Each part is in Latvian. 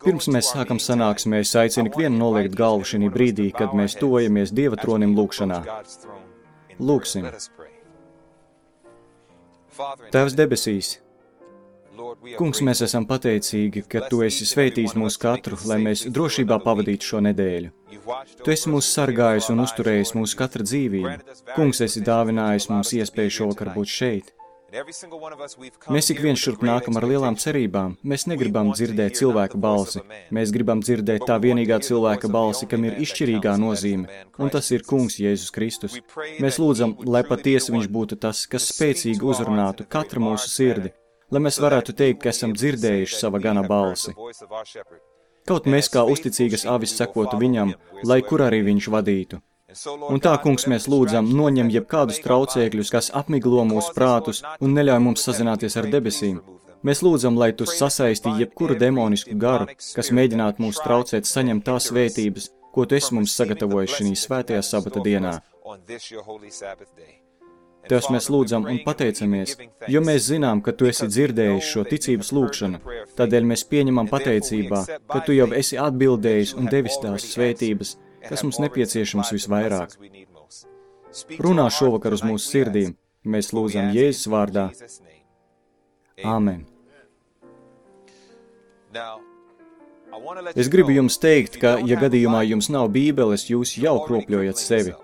Pirms mēs sākam sanāksmē, es aicinu ikvienu noliekt galvu šī brīdī, kad mēs tuvojamies Dieva tronim lūkšanā. Lūksim. Tēvs debesīs, Kungs, mēs esam pateicīgi, ka Tu esi sveitījis mūs katru, lai mēs drošībā pavadītu šo nedēļu. Tu esi mūs sargājis un uzturējis mūsu katra dzīvību. Kungs, esi dāvinājis mums iespēju šovakar būt šeit. Mēs ik viens šurp nākam ar lielām cerībām. Mēs negribam dzirdēt cilvēka balsi. Mēs gribam dzirdēt tā vienīgā cilvēka balsi, kam ir izšķirīgā nozīme, un tas ir Kungs Jēzus Kristus. Mēs lūdzam, lai patiesi viņš būtu tas, kas spēcīgi uzrunātu katru mūsu sirdi, lai mēs varētu teikt, ka esam dzirdējuši sava gana balsi. Kaut mēs kā uzticīgas avis sekotu viņam, lai kur arī viņš vadītu. Un tā, Kungs, mēs lūdzam, noņem jebkādus traucēkļus, kas apmiglo mūsu prātus un neļauj mums sazināties ar debesīm. Mēs lūdzam, lai Tu sasaisti jebkuru demonisku garu, kas mēģinātu mūs traucēt saņemt tās svētības, ko Tu esi mums sagatavojis šī svētajā sabata dienā. Tevs mēs lūdzam un pateicamies, jo mēs zinām, ka Tu esi dzirdējis šo ticības lūkšanu. Tādēļ mēs pieņemam pateicībā, ka Tu jau esi atbildējis un devis tās svētības, kas mums nepieciešams visvairāk. Runā šovakar uz mūsu sirdīm, mēs lūdzam Jēzus vārdā. Āmen. Es gribu jums teikt, ka, ja gadījumā jums nav bībeles, jūs jau kropļojat sevi.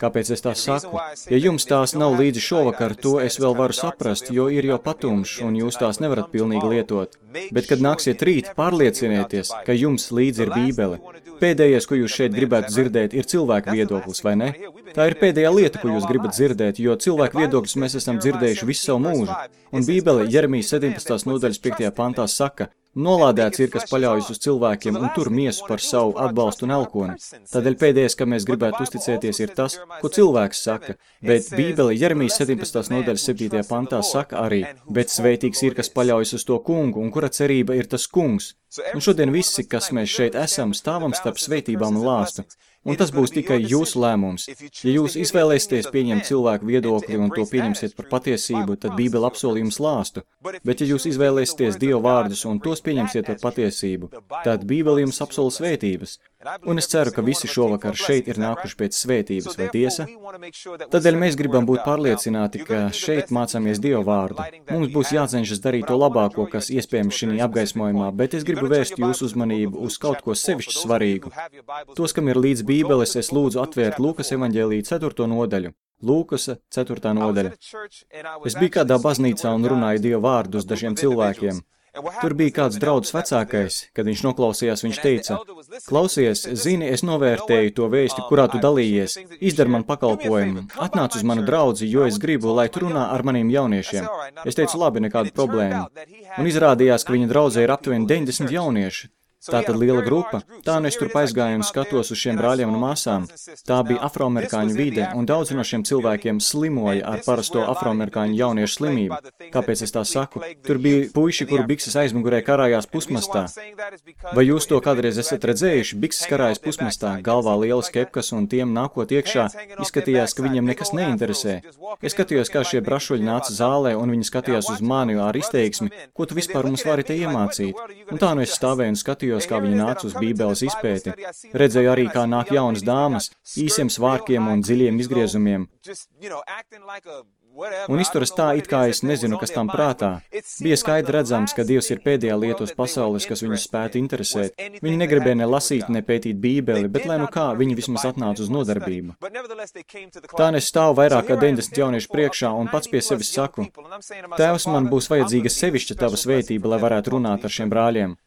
Kāpēc es tā saku? Ja jums tās nav līdzi šovakar, to es vēl varu saprast, jo ir jau patumšs un jūs tās nevarat pilnīgi lietot. Bet, kad nāksiet rīt, pārliecinieties, ka jums līdzi ir bībele. Pēdējais, ko jūs šeit gribētu dzirdēt, ir cilvēka viedoklis, vai ne? Tā ir pēdējā lieta, ko jūs gribat dzirdēt, jo cilvēku viedokļus mēs esam dzirdējuši visu savu mūžu. Un Bībele Jeremijas 17. nodaļas 5. pantā saka, nolādēts ir, kas paļaujas uz cilvēkiem un tur miesu par savu atbalstu un elkoni. Tādēļ pēdējais, kam mēs gribētu uzticēties, ir tas, ko cilvēks saka, bet Bībele Jeremijas 17. nodaļas 7. pantā saka arī, bet svētīgs ir, kas paļaujas uz to kungu un kura cerība ir tas kungs. Un šodien visi, kas mēs šeit esam, stāvam starp svētībām un lāstu. Un tas būs tikai jūsu lēmums. Ja jūs izvēlēsieties pieņemt cilvēku viedokli un to pieņemsiet par patiesību, tad Bībele apsolī jums lāstu. Bet ja jūs izvēlēsieties Dieva vārdus un tos pieņemsiet par patiesību, tad Bībele jums apsola svētības. Un es ceru, ka visi šovakar šeit ir nākuši pēc svētības, vai tiesa? Tādēļ mēs gribam būt pārliecināti, ka šeit mācāmies Dieva vārdu. Mums būs jācenšas darīt to labāko, kas iespējams šī apgaismojumā, bet es gribu vērst jūsu uzmanību uz kaut ko sevišķi svarīgu. Tos, kam ir līdz Bībeles, es lūdzu atvērt Lūkas evaņģēlija 4. nodaļu. Lūkas 4. nodaļa. Es biju kādā baznīcā un runāju Dieva vārdu uz dažiem cilvēkiem. Tur bija kāds draudzes vecākais, kad viņš noklausījās, viņš teica, klausies, zini, es novērtēju to vēsti, kurā tu dalījies, izdari man pakalpojumu, atnāc uz manu draudzi, jo es gribu, lai tu runā ar maniem jauniešiem. Es teicu, labi, nekāda problēma. Un izrādījās, ka viņa draudzē ir aptuveni 90 jaunieši. Tā tad liela grupa. Tā nu es tur aizgāju un skatos uz šiem brāļiem un māsām. Tā bija afroamerikāņu vide, un daudzi no šiem cilvēkiem slimoja ar parasto afroamerikāņu jauniešu slimību. Kāpēc es tā saku? Tur bija puiši, kuru bikses aizmugurē karājās pusmastā. Vai jūs to kādreiz esat redzējuši? Bikses karājas pusmastā, galvā lielas kepkas, un tiem nākot iekšā izskatījās, ka viņiem nekas neinteresē. Es skatījos, kā šie brašuļi nāca zālē, un viņi skatījās uz mani ar izteiksmi, ko tu vispār mums vari te iemācīt. Un tā nu es stāvēju un skatījos, kā viņi nāca uz Bībeles izpēti. Redzēju arī, kā nāk jaunas dāmas, īsiem svārkiem un dziļiem izgriezumiem. Un izturas tā, it kā es nezinu, kas tam prātā. Bija skaidri redzams, ka Dievs ir pēdējā lieta uz pasaules, kas viņus spētu interesēt. Viņi negribēja ne lasīt, ne pētīt Bībeli, bet lai nu kā, viņi vismaz atnāca uz nodarbību. Tā es stāvu vairāk kā 90 jauniešu priekšā un pats pie sevis saku, Tēvs, man būs vajadzīga sevišķa tava svētība, lai varētu runāt ar šiem brāļiem.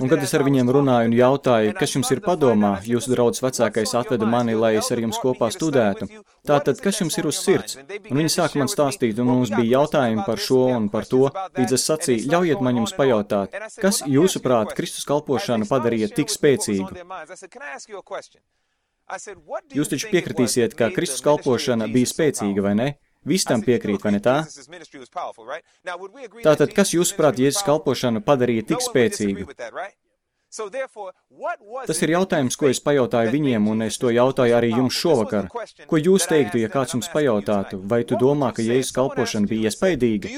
Un kad es ar viņiem runāju un jautāju, kas jums ir padomā, jūsu draudzes vecākais atveda mani, lai es ar jums kopā studētu. Tātad, kas jums ir uz sirds? Un viņi sāka man stāstīt, un mums bija jautājumi par šo un par to, līdz es sacīju, ļaujiet man jums pajautāt, kas jūsuprāt Kristus kalpošanu padarīja tik spēcīgu? Jūs taču piekritīsiet, ka Kristus kalpošana bija spēcīga, vai ne? Visi tam piekrīt, vai ne tā? Tātad, kas jūsuprāt Jēzus kalpošanu padarīja tik spēcīgu? Tas ir jautājums, ko es pajautāju viņiem, un es to jautāju arī jums šovakar. Ko jūs teiktu, ja kāds jums pajautātu, vai tu domā, ka Jēzus kalpošana bija iespaidīga?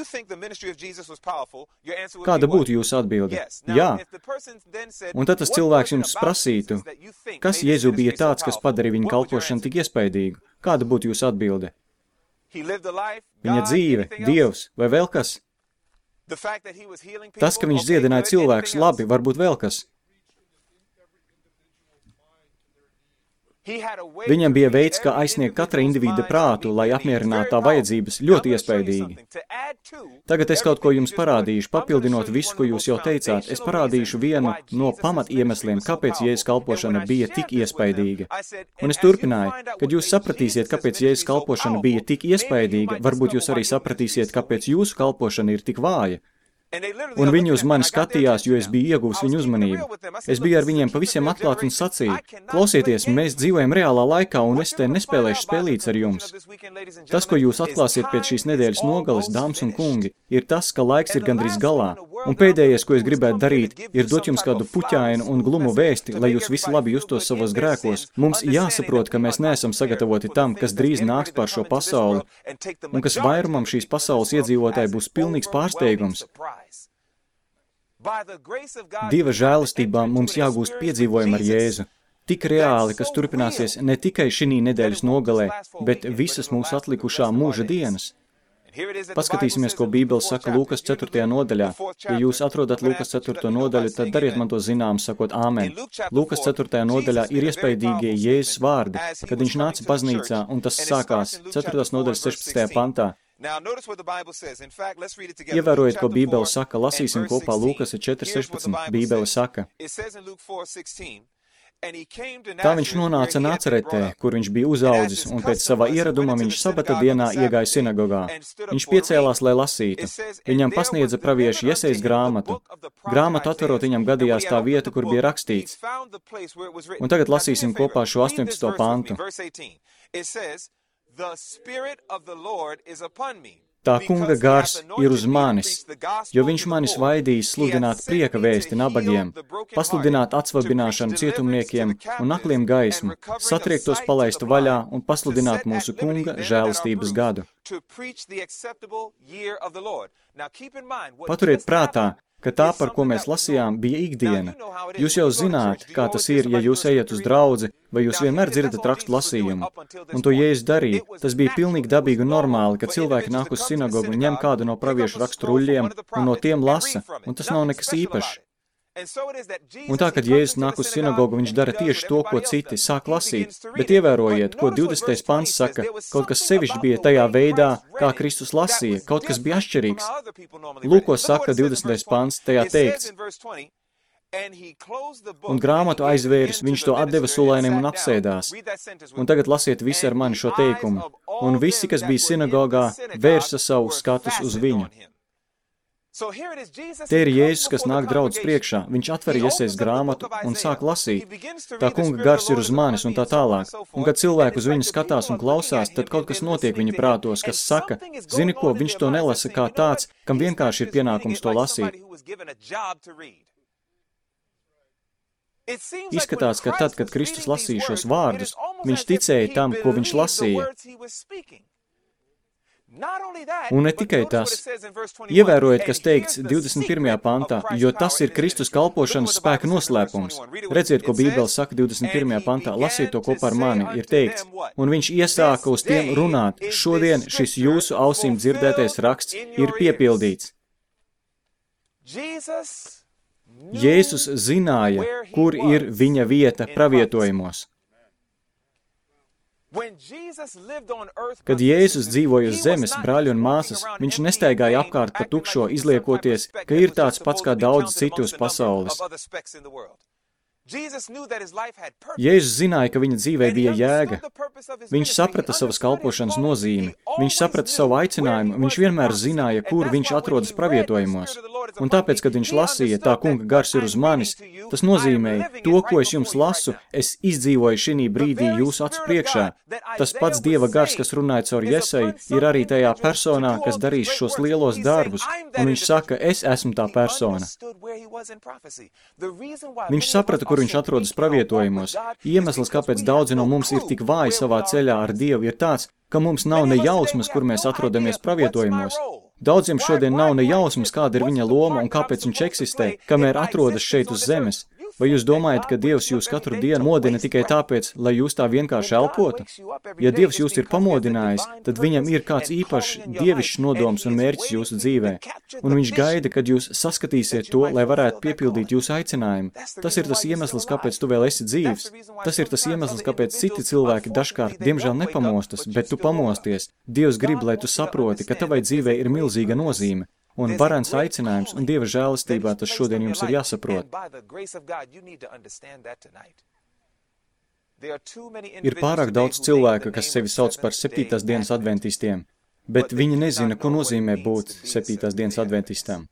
Kāda būtu jūsu atbilde? Jā. Un tad tas cilvēks jums prasītu, kas Jēzu bija tāds, kas padarīja viņa kalpošanu tik iespaidīgu? Kāda būtu jūsu atbilde? Viņa dzīve, Dievs vai vēl kas? Tas, ka viņš dziedināja cilvēkus, labi, varbūt vēl kas. Viņam bija veids, kā aizsniegt katra individa prātu, lai apmierinātu tā vajadzības, ļoti iespaidīgi. Tagad es kaut ko jums parādīšu, papildinot visu, ko jūs jau teicāt. Es parādīšu vienu no pamatiemesliem, kāpēc Jēzus kalpošana bija tik iespaidīga. Un es turpināju, kad jūs sapratīsiet, kāpēc Jēzus kalpošana bija tik iespaidīga, varbūt jūs arī sapratīsiet, kāpēc jūsu kalpošana ir tik vāja. Un viņi uz mani skatījās, jo es biju ieguvis viņu uzmanību. Es biju ar viņiem pavisam atklāti un sacīju, klausieties, mēs dzīvojam reālā laikā, un es te nespēlēšu spēlīts ar jums. Tas, ko jūs atklāsiet pēc šīs nedēļas nogales, dāmas un kungi, ir tas, ka laiks ir gandrīz galā. Un pēdējais, ko es gribētu darīt, ir dot jums kādu puķainu un glumu vēsti, lai jūs visi labi justos savos grēkos. Mums jāsaprot, ka mēs neesam sagatavoti tam, kas drīz nāks pār šo pasauli, un kas vairumam šīs pasaules iedzīvotāji būs pilnīgs pārsteigums. Dieva žēlastībā mums jāgūst piedzīvojumi ar Jēzu. Tik reāli, kas turpināsies ne tikai šī nedēļas nogalē, bet visas mūsu atlikušā mūža dienas. Paskatīsimies, ko Bībele saka Lūkas 4. nodaļā. Ja jūs atrodat Lūkas 4. nodaļu, tad dariet man to zinām, sakot āmen. Lūkas 4. nodaļā ir iespaidīgie Jēzus vārdi, kad viņš nāca baznīcā, un tas sākās 4. nodaļas 16. pantā. Ievērojiet, ko Bībele saka, lasīsim kopā Lūkas 4.16. Bībele saka. Tā viņš nonāca Nacaretē, kur viņš bija uzaudzis, un pēc savā ieraduma viņš sabata dienā iegāja sinagogā. Viņš piecēlās, lai lasītu. Viņam pasniedza pravieša Jesejas grāmatu. Grāmatu atverot viņam gadījās tā vieta, kur bija rakstīts. Un tagad lasīsim kopā šo 18. pantu. Tā kunga gars ir uz manis, jo viņš manis vaidījis sludināt prieka vēsti nabagiem, pasludināt atsvabināšanu cietumniekiem un akliem gaismu, satriektos palaistu vaļā un pasludināt mūsu kunga žēlastības gadu. Paturiet prātā, ka tā, par ko mēs lasījām, bija ikdiena. Jūs jau zināt, kā tas ir, ja jūs ejat uz draudzi, vai jūs vienmēr dzirdat rakstu lasījumu. Un to Jēzus darīja. Tas bija pilnīgi dabīgi un normāli, ka cilvēki nāk uz sinagogu un ņem kādu no praviešu rakstu ruļļiem un no tiem lasa, un tas nav nekas īpašs. Un tā, kad Jēzus nāk uz sinagogu, viņš dara tieši to, ko citi sāk lasīt. Bet ievērojiet, ko 20. pants saka, kaut kas sevišķi bija tajā veidā, kā Kristus lasīja, kaut kas bija atšķirīgs. Lūk, ko saka 20. pants, tajā teikts. Un grāmatu aizvēris, viņš to atdeva sulainim un apsēdās. Un tagad lasiet visi ar mani šo teikumu. Un visi, kas bija sinagogā, vērsa savu skatus uz viņu. Te ir Jēzus, kas nāk draudzes priekšā. Viņš atver Jesejas grāmatu un sāk lasīt. Tā kunga gars ir uz manis un tā tālāk. Un kad cilvēki uz viņu skatās un klausās, tad kaut kas notiek viņa prātos, kas saka, zini ko, viņš to nelasa kā tāds, kam vienkārši ir pienākums to lasīt. Izskatās, ka tad, kad Kristus lasīja šos vārdus, viņš ticēja tam, ko viņš lasīja. Un ne tikai tas. Ievērojiet, kas teikts 21. pantā, jo tas ir Kristus kalpošanas spēka noslēpums. Redziet, ko Bībele saka 21. pantā, lasiet to kopā ar mani, ir teikts. Un viņš iesāka uz tiem runāt, šodien šis jūsu ausīm dzirdētais raksts ir piepildīts. Jēzus zināja, kur ir viņa vieta pravietojumos. Kad Jēzus dzīvoja uz zemes, brāļi un māsas, viņš nestaigāja apkārt pa tukšo, izliekoties, ka ir tāds pats kā daudz citu uz pasaules. Jēzus zināja, ka viņa dzīvē bija jēga. Viņš saprata savas kalpošanas nozīmi. Viņš saprata savu aicinājumu. Viņš vienmēr zināja, kur viņš atrodas pravietojumos. Un tāpēc, kad viņš lasīja, tā kunga gars ir uz manis, tas nozīmēja, to, ko es jums lasu, es izdzīvoju šī brīdī jūsu acu priekšā. Tas pats Dieva gars, kas runāja caur Jeseju, ir arī tajā personā, kas darīs šos lielos darbus. Un viņš saka, es esmu tā persona. Viņš saprata, kur viņš atrodas pravietojumos. Iemesls, kāpēc daudzi no mums ir tik vāji savā ceļā ar Dievu, ir tāds, ka mums nav ne jausmas, kur mēs atrodamies pravietojumos. Daudziem šodien nav ne jausmas, kāda ir viņa loma un kāpēc viņš eksistē, kamēr atrodas šeit uz zemes. Vai jūs domājat, ka Dievs jūs katru dienu modina tikai tāpēc, lai jūs tā vienkārši elpotu? Ja Dievs jūs ir pamodinājis, tad viņam ir kāds īpašs dievišķs nodoms un mērķis jūsu dzīvē. Un viņš gaida, kad jūs saskatīsiet to, lai varētu piepildīt jūsu aicinājumu. Tas ir tas iemesls, kāpēc tu vēl esi dzīvs. Tas ir tas iemesls, kāpēc citi cilvēki dažkārt, diemžēl, nepamostas, bet tu pamosties. Dievs grib, lai tu saproti, ka tavai dzīvē ir milzīga nozīme. Un varens aicinājums un Dieva žēlastībā tas šodien jums ir jāsaprot. Ir pārāk daudz cilvēku, kas sevi sauc par 7. dienas adventistiem, bet viņi nezina, ko nozīmē būt 7. dienas adventistam.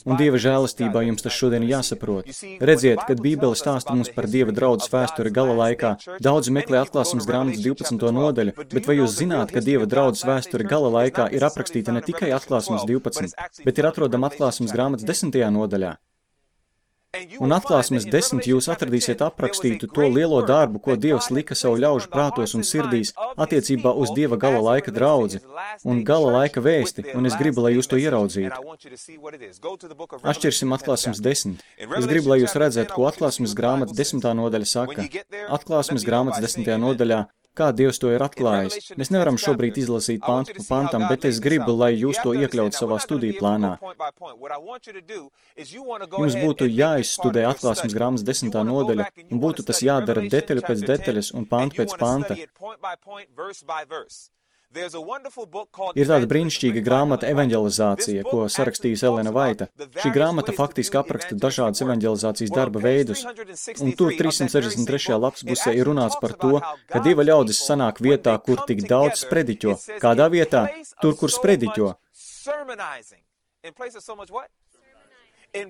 Un Dieva žēlastībā jums tas šodien jāsaprot. Redziet, kad Bībele stāsta mums par Dieva draudzes vēsturi gala laikā, daudzi meklē atklāsmes grāmatas 12. nodaļu, bet vai jūs zināt, ka Dieva draudzes vēsturi gala laikā ir aprakstīta ne tikai atklāsmes 12, bet ir atrodama atklāsmes grāmatas 10. nodaļā? Un atklāsmes 10 jūs atradīsiet aprakstītu to lielo darbu, ko Dievs lika savu ļaužu prātos un sirdīs attiecībā uz Dieva gala laika draudzi un gala laika vēsti, un es gribu, lai jūs to ieraudzītu. Atšķirsim atklāsmes 10. Es gribu, lai jūs redzētu, ko atklāsmes grāmatas 10. nodaļa saka. Atklāsmes grāmatas 10. nodaļā, kā Dievs to ir atklājis. Mēs nevaram šobrīd izlasīt pantu pa pantam, bet es gribu, lai jūs to iekļautu savā studiju plānā. Jums būtu jāizstudē atklāsmes grāmatas 10. nodaļa, un būtu tas jādara detaļu pēc detaļas un pantu pēc panta. Ir tāda brīnišķīga grāmata Evanģelizācija, ko sarakstījusi Elena Vaita. Šī grāmata faktiski apraksta dažādas evanģelizācijas darba veidus, un tur 363. lapspusē ir runāts par to, ka Dieva ļaudis sanāk vietā, kur tik daudz sprediķo. Kādā vietā? Tur, kur sprediķo.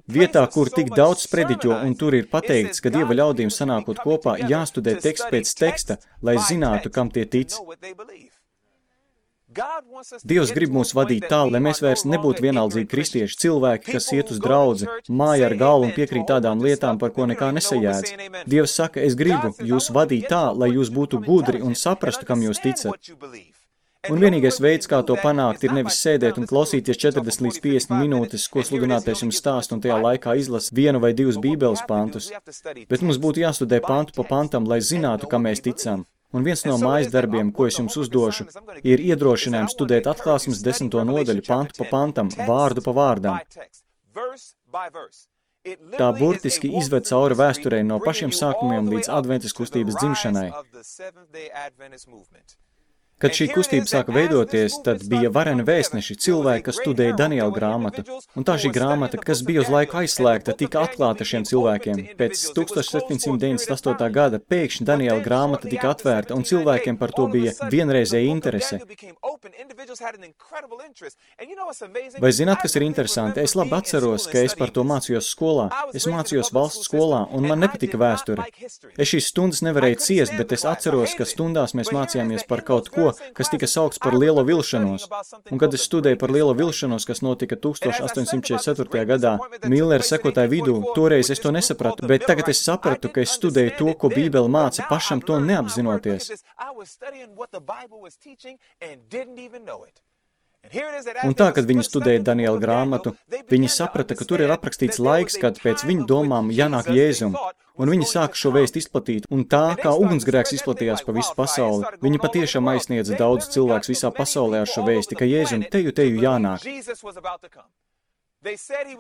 Vietā, kur tik daudz sprediķo, un tur ir pateikts, ka Dieva ļaudīm sanākot kopā jāstudē teksts pēc teksta, lai zinātu, kam tie tic. Dievs grib mūs vadīt tā, lai mēs vairs nebūtu vienaldzīgi kristieši, cilvēki, kas iet uz draudzi, māja ar galvu un piekrīt tādām lietām, par ko nekā nesajēdz. Dievs saka, es gribu jūs vadīt tā, lai jūs būtu gudri un saprastu, kam jūs ticat. Un vienīgais veids, kā to panākt, ir nevis sēdēt un klausīties 40 līdz 50 minūtes, ko sludinātais jums stāst un tajā laikā izlas 1 vai 2 bībeles pantus, bet mums būtu jāstudē pantu pa pantam, lai zinātu, kam mēs ticam. Un viens no mājas darbiem, ko es jums uzdošu, ir iedrošinājums studēt atklāsmes 10. nodaļu pantu pa pantam, vārdu pa vārdam. Tā burtiski izved cauri vēsturei no pašiem sākumiem līdz adventas kustības dzimšanai. Kad šī kustība sāka veidoties, tad bija vareni vēstneši, cilvēki, kas studēja Daniela grāmatu, un tā šī grāmata, kas bija uz laiku aizslēgta, tika atklāta šiem cilvēkiem. Pēc 1798. gada pēkšņi Daniela grāmata tika atvērta, un cilvēkiem par to bija vienreizēja interese. Vai zināt, kas ir interesanti? Es labi atceros, ka es par to mācījos skolā. Es mācījos valsts skolā, un man nepatika vēsture. Es šīs stundas nevarēju ciest, bet es atceros, ka stundās mēs mācījāmies par kaut ko, kas tika saukts par lielo vilšanos. Un kad es studēju par lielo vilšanos, kas notika 1844. gadā, Millera sekotāju vidū, toreiz es to nesapratu, bet tagad es sapratu, ka es studēju to, ko Bībele māca, pašam to neapzinoties. Un tā, kad viņi studēja Daniela grāmatu, viņi saprata, ka tur ir aprakstīts laiks, kad pēc viņu domām jānāk Jēzum. Un viņi sāka šo vēstu izplatīt, un tā, kā ugunsgrēks izplatījās pa visu pasauli, viņi patiešām aizsniedza daudz cilvēks visā pasaulē ar šo vēsti, ka Jēzum teju jānāk.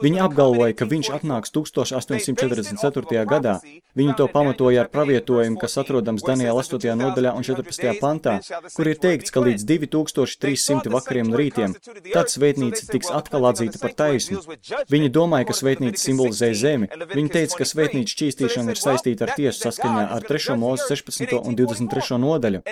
Viņi apgalvoja, ka viņš atnāks 1844. gadā. Viņi to pamatoja ar pravietojumu, kas atrodams Daniela 8. nodaļā un 14. pantā, kur ir teikts, ka līdz 2300 vakariem un rītiem tad svētnīca tiks atkal atzīta par taisnu. Viņi domāja, ka svētnīca simbolizē zemi. Viņi teica, ka svētnīca šķīstīšana ir saistīta ar tiesu saskaņā ar 3. Mūzes 16. un 23. nodaļu.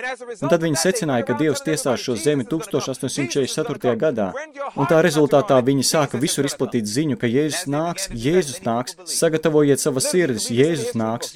Un tad viņi secināja, ka Dievs tiesās šo zemi 1844. gadā. Un tā rezultātā viņi sāka visur izplatīt ziņu, ka Jēzus nāks, sagatavojiet savas sirdis, Jēzus nāks.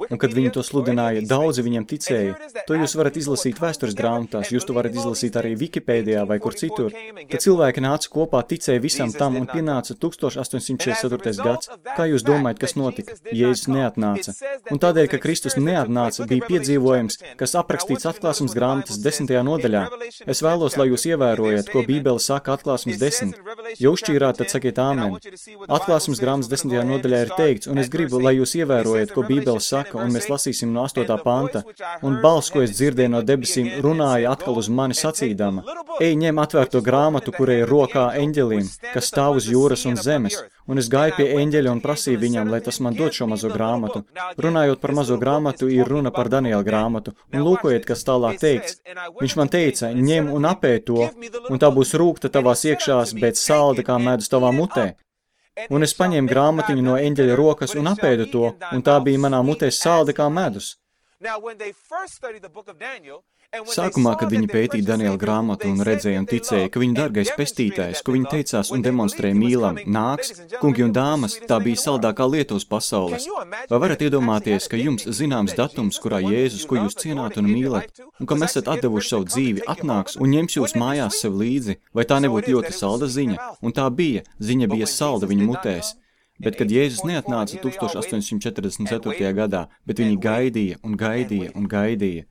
Un kad viņi to sludināja, daudzi viņiem ticēja. To jūs varat izlasīt vēstures grāmatās, jūs to varat izlasīt arī Wikipēdijā vai kur citur. Kad cilvēki nāca kopā, ticēja visam tam un pienāca 1844. gads. Kā jūs domājat, kas notika? Jēzus neatnāca. Un tādēļ, ka Kristus neatnāca, bija piedzīvojums, kas aprakstīts Atklāsmes grāmatas 10. nodaļā. Es vēlos, lai jūs ievērojat, ko Bībele saka Atklāsmes 10. Ja uzšķīrāt, tad sakiet āmen. Atklāsmes grāmatas 10. nodaļā ir teikts, un es gribu, lai jūs ievērojat, ko Bībele saka, un mēs lasīsim no 8. panta. Un balss, ko es dzirdēju no debesīm, runāja atkal uz mani sacīdama: Ej, ņem atvērto grāmatu, kurai ir rokā eņģelim, kas stāv uz jūras un zemes. Un es gāju pie eņģeļa un prasīju viņam, lai tas man dod šo mazo grāmatu. Runājot par mazo grāmatu, ir runa par Daniela grāmatu. Un lūkojiet, kas tālāk teikts. Viņš man teica: ņem un apēd to, un tā būs rūgta tavās iekšās, bet salda kā medus tavā mutē. Un es paņēmu grāmatiņu no eņģeļa rokas un apēdu to, un tā bija manā mutē salda kā medus. Sākumā, kad viņi pētīja Daniela grāmatu un redzēja un ticēja, ka viņa dargais pestītājs, ko viņi teicās un demonstrēja mīlam, nāks, kungi un dāmas, tā bija saldākā lieta uz pasaules. Vai varat iedomāties, ka jums zināms datums, kurā Jēzus, ko jūs cienāt un mīlat, un kam esat atdevuši savu dzīvi, atnāks un ņems jūs mājās sev līdzi? Vai tā nebūtu ļoti salda ziņa? Un tā bija, ziņa bija salda viņa mutēs. Bet, kad Jēzus neatnāca 1844. gadā, bet viņi gaidīja un gaidīja un gaidīja,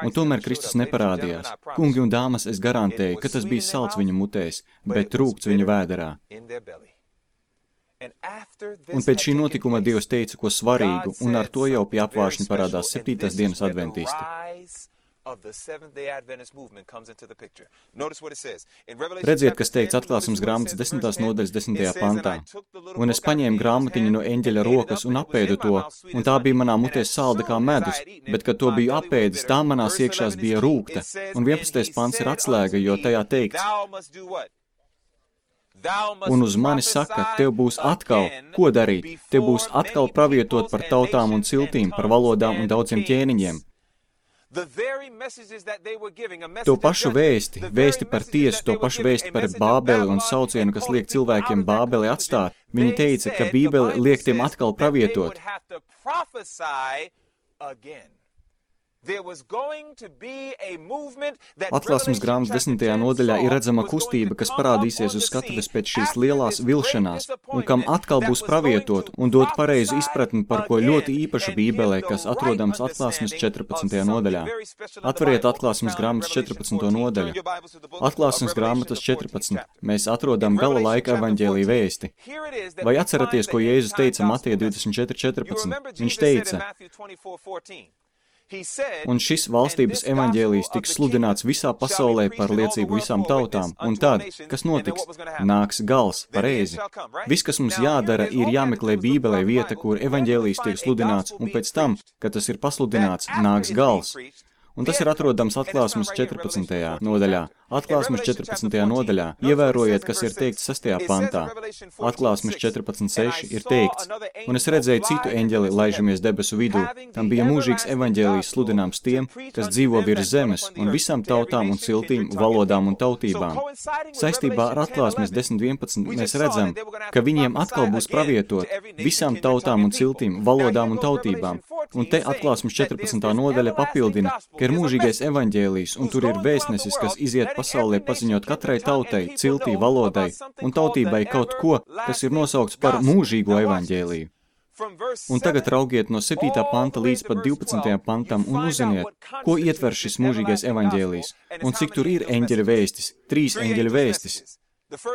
un tomēr Kristus neparādījās. Kungi un dāmas, es garantēju, ka tas bija salds viņa mutēs, bet rūgts viņa vēderā. Un pēc šī notikuma Dievs teica ko svarīgu, un ar to jau pie apvāršņa parādās 7. dienas adventisti. Redziet, kas teikts Atklāsmes grāmatas 10. nodaļas 10. pantā. Un es paņēmu grāmatiņu no eņģeļa rokas un apēdu to, un tā bija manā mutē salda kā medus, bet, kad to biju apēdis, tā manās iekšās bija rūgta. Un 11. pants ir atslēga, jo tajā teikts: Un uz mani saka, tev būs atkal, ko darīt? Tev būs atkal pravietot par tautām un ciltīm, par valodām un daudziem ķēniņiem. To pašu vēsti par tiesu, to pašu vēsti par Bābeli un saucienu, kas liek cilvēkiem Bābeli atstāt. Viņi teica, ka Bībele liek tiem atkal pravietot. Atklāsmes grāmatas 10. nodaļā ir redzama kustība, kas parādīsies uz skatuves pēc šīs lielās vilšanās, un kam atkal būs pravietot un dot pareizu izpratni par ko ļoti īpašu Bībelē, kas atrodams Atklāsmes 14. nodaļā. Atveriet Atklāsmes grāmatas 14. nodaļu. Atklāsmes grāmatas 14. Mēs atrodam gala laika evaņģēlija vēsti. Vai atceraties, ko Jēzus teica Mateja 24:14? Viņš teica: Un šis valstības evaņģēlijs tiks sludināts visā pasaulē par liecību visām tautām, un tad, kas notiks? Nāks gals, pareizi. Viss, kas mums jādara, ir jāmeklē Bībelē vieta, kur evaņģēlijs tiek sludināts, un pēc tam, kad tas ir pasludināts, nāks gals. Un tas ir atrodams Atklāsmes 14. nodaļā. Atklāsmes 14. nodaļā. Ievērojiet, kas ir teikts 6. pantā. Atklāsmes 14.6 ir teikts: Un es redzēju citu eņģeli laižamies debesu vidū. Tam bija mūžīgs evaņģēlijs sludināms tiem, kas dzīvo virs zemes, un visām tautām un ciltīm, valodām un tautībām. Saistībā ar Atklāsmes 10.11 mēs redzam, ka viņiem atkal būs pravietot visām tautām un ciltīm, valodām un tautībām. Un te Atklāsmes 14. nodaļa papildina, ka ir mūžīgais evaņģēlijs, un tur ir vēstnesis, kas iziet pasaulē paziņot katrai tautai, ciltī, valodai un tautībai kaut ko, kas ir nosaukts par mūžīgo evaņģēliju. Un tagad raugiet no 7. panta līdz pat 12. pantam un uzziniet, ko ietver šis mūžīgais evaņģēlijs, un cik tur ir eņģeļa vēstis, 3 eņģeļa vēstis.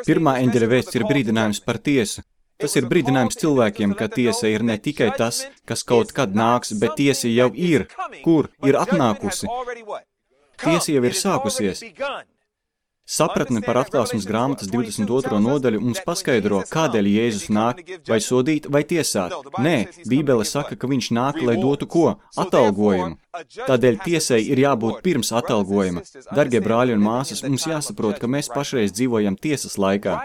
Pirmā eņģeļa vēstis ir brīdinājums par tiesu. Tas ir brīdinājums cilvēkiem, ka tiesa ir ne tikai tas, kas kaut kad nāks, bet tiesa jau ir, kur ir atnākusi. Tiesa jau ir sākusies. Sapratne par Atklāsmes grāmatas 22. nodaļu mums paskaidro, kādēļ Jēzus nāk, vai sodīt, vai tiesāt. Nē, Bībele saka, ka viņš nāk, lai dotu ko? Atalgojumu. Tādēļ tiesai ir jābūt pirms atalgojuma. Dargie brāļi un māsas, mums jāsaprot, ka mēs pašreiz dzīvojam tiesas laikā.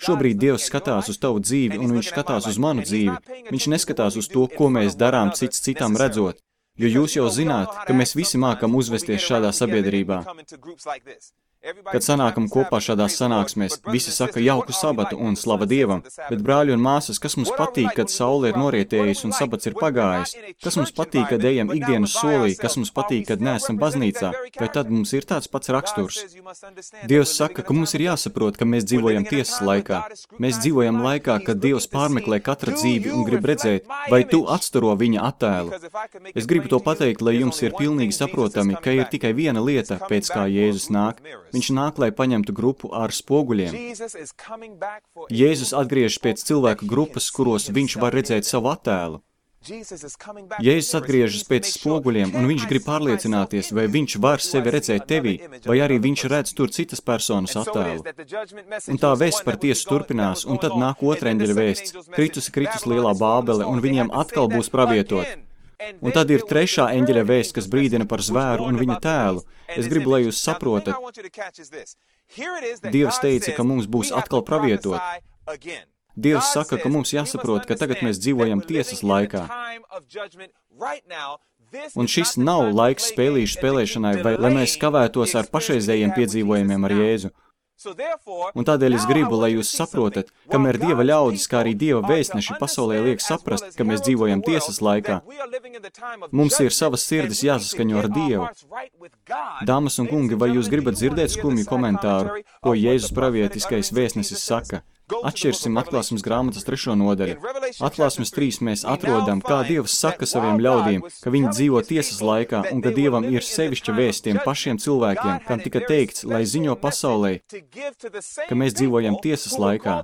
Šobrīd Dievs skatās uz tavu dzīvi, un viņš skatās uz manu dzīvi. Viņš neskatās uz to, ko mēs darām cits citam redzot. Jo jūs jau zināt, ka mēs visi mākam uzvesties šādā sabiedrībā. Kad sanākam kopā šādās sanāksmēs, visi saka jauku sabatu un slava Dievam, bet brāļi un māsas, kas mums patīk, kad saule ir norietējusi un sabats ir pagājis? Kas mums patīk, kad ejam ikdienas solī? Kas mums patīk, kad neesam baznīcā? Vai tad mums ir tāds pats raksturs? Dievs saka, ka mums ir jāsaprot, ka mēs dzīvojam tiesas laikā. Mēs dzīvojam laikā, kad Dievs pārmeklē katra dzīvi un grib redzēt, vai tu atstaro viņa attēlu. Es gribu to pateikt, lai jums ir pilnīgi saprotami, ka ir tikai viena lieta, pēc kā Jēzus nāk. Viņš nāk, lai paņemtu grupu ar spoguļiem. Jēzus atgriežas pēc cilvēku grupas, kuros viņš var redzēt savu attēlu. Jēzus atgriežas pēc spoguļiem, un viņš grib pārliecināties, vai viņš var sevi redzēt tevī, vai arī viņš redz tur citas personas attēlu. Un tā vēsts par tiesu turpinās, un tad nāk otra eņģeļa vēsts. Kritus lielā Bābele, un viņiem atkal būs pravietot. Un tad ir trešā eņģeļa vēsts, kas brīdina par zvēru un viņa tēlu. Es gribu, lai jūs saprotat. Dievs teica, ka mums būs atkal pravietot. Dievs saka, ka mums jāsaprot, ka tagad mēs dzīvojam tiesas laikā. Un šis nav laiks spēlīšu spēlēšanai, vai lai mēs kavētos ar pašreizējiem piedzīvojumiem ar Jēzu. Un tādēļ es gribu, lai jūs saprotat, kamēr Dieva ļaudis, kā arī Dieva vēstneši pasaulē liek saprast, ka mēs dzīvojam tiesas laikā, mums ir savas sirdis jāsaskaņo ar Dievu. Dāmas un kungi, vai jūs gribat dzirdēt skumju komentāru, ko Jēzus pravietiskais vēstnesis saka? Atšķirsim Atklāsmes grāmatas 3. nodaļu. Atklāsmes 3 mēs atrodam, kā Dievs saka saviem ļaudīm, ka viņi dzīvo tiesas laikā un ka Dievam ir sevišķa vēsts tiem pašiem cilvēkiem, kam tika teikts, lai ziņo pasaulē, ka mēs dzīvojam tiesas laikā.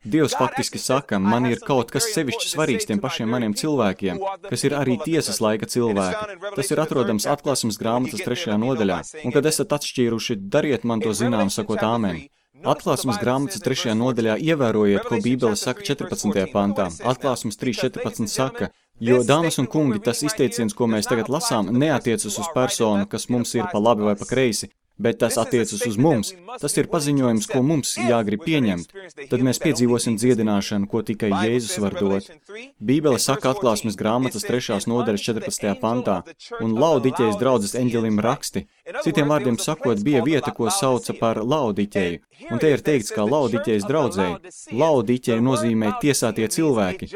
Dievs faktiski saka, man ir kaut kas sevišķi svarīgs tiem pašiem maniem cilvēkiem, kas ir arī tiesas laika cilvēki. Tas ir atrodams Atklāsmes grāmatas 3. nodaļā. Un kad esat atšķīruši, dariet man to zinām, sakot āmen. Atklāsmes grāmatas 3. nodaļā ievērojiet, ko Bībele saka 14. pantā. Atklāsmes 3.14 saka, jo, dāmas un kungi, tas izteiciens, ko mēs tagad lasām, neatiecas uz personu, kas mums ir pa labi vai pa kreisi, bet tas attiecas uz mums. Tas ir paziņojums, ko mums jāgrib pieņemt. Tad mēs piedzīvosim dziedināšanu, ko tikai Jēzus var dot. Bībele saka Atklāsmes grāmatas 3. nodaļas 14. pantā, un Laodiķejas draudzes eņģelim raksti. Citiem vārdiem sakot, bija vieta, ko sauca par Laodiķeju. Un te ir teikts, kā Laodiķejas draudzēji. Laodiķeja nozīmē tiesātie cilvēki.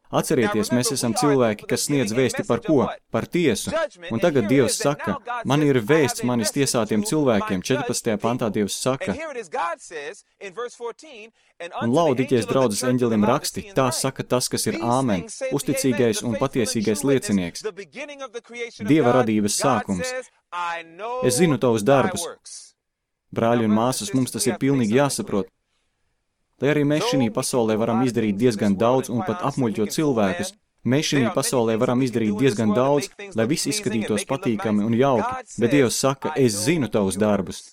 Atcerieties, mēs esam cilvēki, kas sniedz vēsti par ko? Par tiesu. Un tagad Dievs saka, man ir vēsts manis tiesātiem cilvēkiem. 14. pantā Dievs saka, un Laodiķejas draudzes eņģelim raksti, tā saka tas, kas ir āmen, uzticīgais un patiesīgais liecinieks. Dieva radības sākums. Es zinu tavus darbus. Brāļi un māsas, mums tas ir pilnīgi jāsaprot. Lai arī mēs šī pasaulē varam izdarīt diezgan daudz un pat apmuļķot cilvēkus, mēs šī pasaulē varam izdarīt diezgan daudz, lai viss izskatītos patīkami un jauki, bet Dievs saka, es zinu tavus darbus.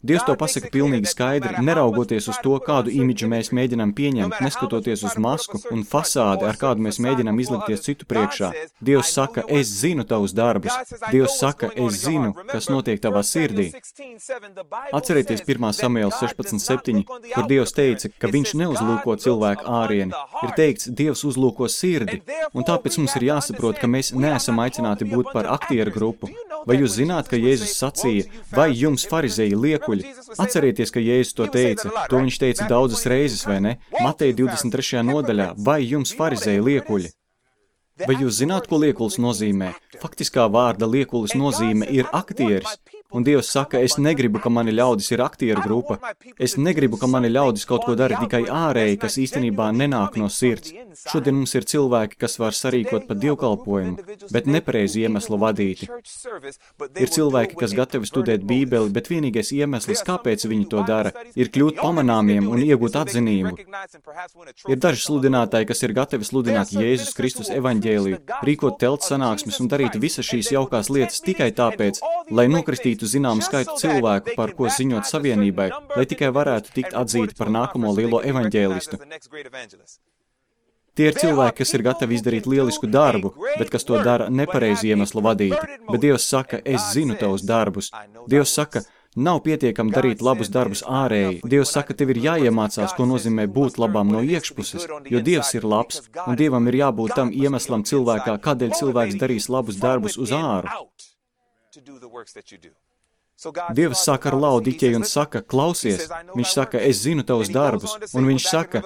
Dievs to pasaka pilnīgi skaidri, neraugoties uz to, kādu imidžu mēs mēģinām pieņemt, neskatoties uz masku un fasādi, ar kādu mēs mēģinām izlikties citu priekšā. Dievs saka, es zinu tavus darbus. Dievs saka, es zinu, kas notiek tavā sirdī. Atcerieties 1. Samuēla 16.7, kur Dievs teica, ka viņš neuzlūko cilvēku ārieni. Ir teikts, Dievs uzlūko sirdi, un tāpēc mums ir jāsaprot, ka mēs neesam aicināti būt par aktieru grupu. Vai jūs zināt, ka Jēzus sacīja, vai jums farizeji liekuļi? Atcerieties, ka Jēzus to teica. To viņš teica daudzas reizes, vai ne? Mateja 23. nodaļā, vai jums farizeji liekuļi? Vai jūs zināt, ko liekulis nozīmē? Faktiskā vārda liekulis nozīme ir aktieris. Un Dievs saka, es negribu, ka mani ļaudis ir aktieru grupa. Es negribu, ka mani ļaudis kaut ko dara tikai ārēji, kas īstenībā nenāk no sirds. Šodien mums ir cilvēki, kas var sarīkot pat dievkalpojumu, bet nepareizi iemeslu vadīti. Ir cilvēki, kas gatavi studēt Bībeli, bet vienīgais iemesls, kāpēc viņi to dara, ir kļūt pamanāmiem un iegūt atzinību. Ir daži sludinātāji, kas ir gatavi sludināt Jēzus Kristus evaņģēliju, rīkot telts sanāksmes un darīt visas šīs jaukās lietas tikai tāpēc, lai nokristītu zināmu skaitu cilvēku, par ko ziņot savienībai, lai tikai varētu tikt atzīti par nākamo lielo evaņģēlistu. Tie ir cilvēki, kas ir gatavi izdarīt lielisku darbu, bet kas to dara nepareizi iemeslu vadīti. Bet Dievs saka, es zinu tavus darbus. Dievs saka, nav pietiekami darīt labus darbus ārēji. Dievs saka, tev ir jāiemācās, ko nozīmē būt labām no iekšpuses, jo Dievs ir labs, un Dievam ir jābūt tam iemeslam cilvēkā, kādēļ cilvēks darīs labus darbus uz āru. Dievs sāk ar Laodiķeju un saka, klausies, viņš saka, es zinu tavus darbus, un viņš saka,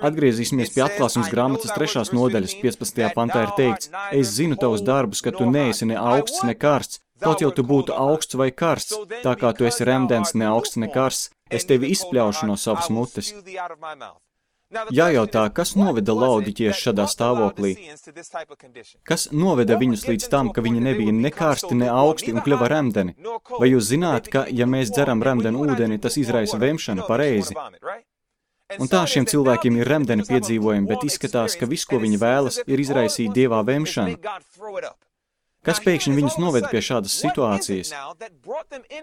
atgriezīsimies pie atklāsmes grāmatas 3. nodaļas, 15. pantā ir teikts, es zinu tavus darbus, ka tu neesi ne augsts, ne karsts, kaut jau tu būtu augsts vai karsts, tā kā tu esi remdens ne augsts, ne karsts, es tevi izpļaušu no savas mutes. Jājautā, kas noveda Laodiķiešu šādā stāvoklī? Kas noveda viņus līdz tam, ka viņi nebija ne karsti, ne augsti un kļuva remdeni? Vai jūs zināt, ka, ja mēs dzeram remdenu ūdeni, tas izraisa vemšanu pareizi? Un tā šiem cilvēkiem ir remdeni piedzīvojumi, bet izskatās, ka viss, ko viņi vēlas, ir izraisīt Dievā vemšanu. Kas pēkšņi viņus noved pie šādas situācijas?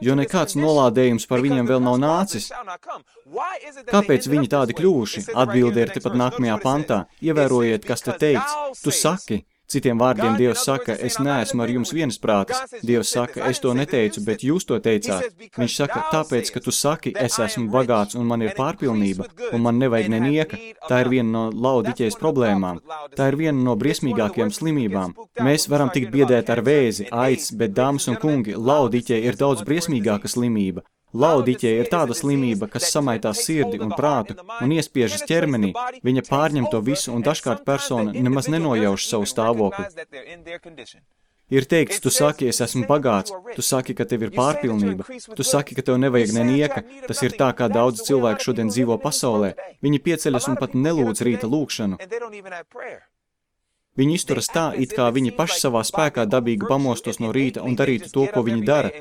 Jo nekāds nolādējums par viņiem vēl nav nācis. Kāpēc viņi tādi kļuvuši? Atbilde ir tepat nākamajā pantā. Ievērojiet, kas te teikts. Tu saki. Citiem vārdiem Dievs saka, es neesmu ar jums viensprātis. Dievs saka, es to neteicu, bet jūs to teicāt. Viņš saka, tāpēc, ka tu saki, es esmu bagāts un man ir pārpilnība, un man nevajag nenieka. Tā ir viena no Laodiķejas problēmām. Tā ir viena no briesmīgākajām slimībām. Mēs varam tikt biedēt ar vēzi, aids, bet, dāmas un kungi, Laodiķeja ir daudz briesmīgāka slimība. Laodiķeja ir tāda slimība, kas samaitās sirdi un prātu un iespiežas ķermenī. Viņa pārņem to visu un dažkārt persona nemaz nenojauš savu stāvokli. Ir teikts, tu saki, es esmu bagāts, tu saki, ka tev ir pārpilnība, tu saki, ka tev nevajag nenieka. Tas ir tā, kā daudz cilvēku šodien dzīvo pasaulē. Viņi pieceļas un pat nelūdz rīta lūgšanu. Viņi izturas tā, it kā viņi paši savā spēkā dabīgi pamostos no rīta un darītu to, ko viņi dara.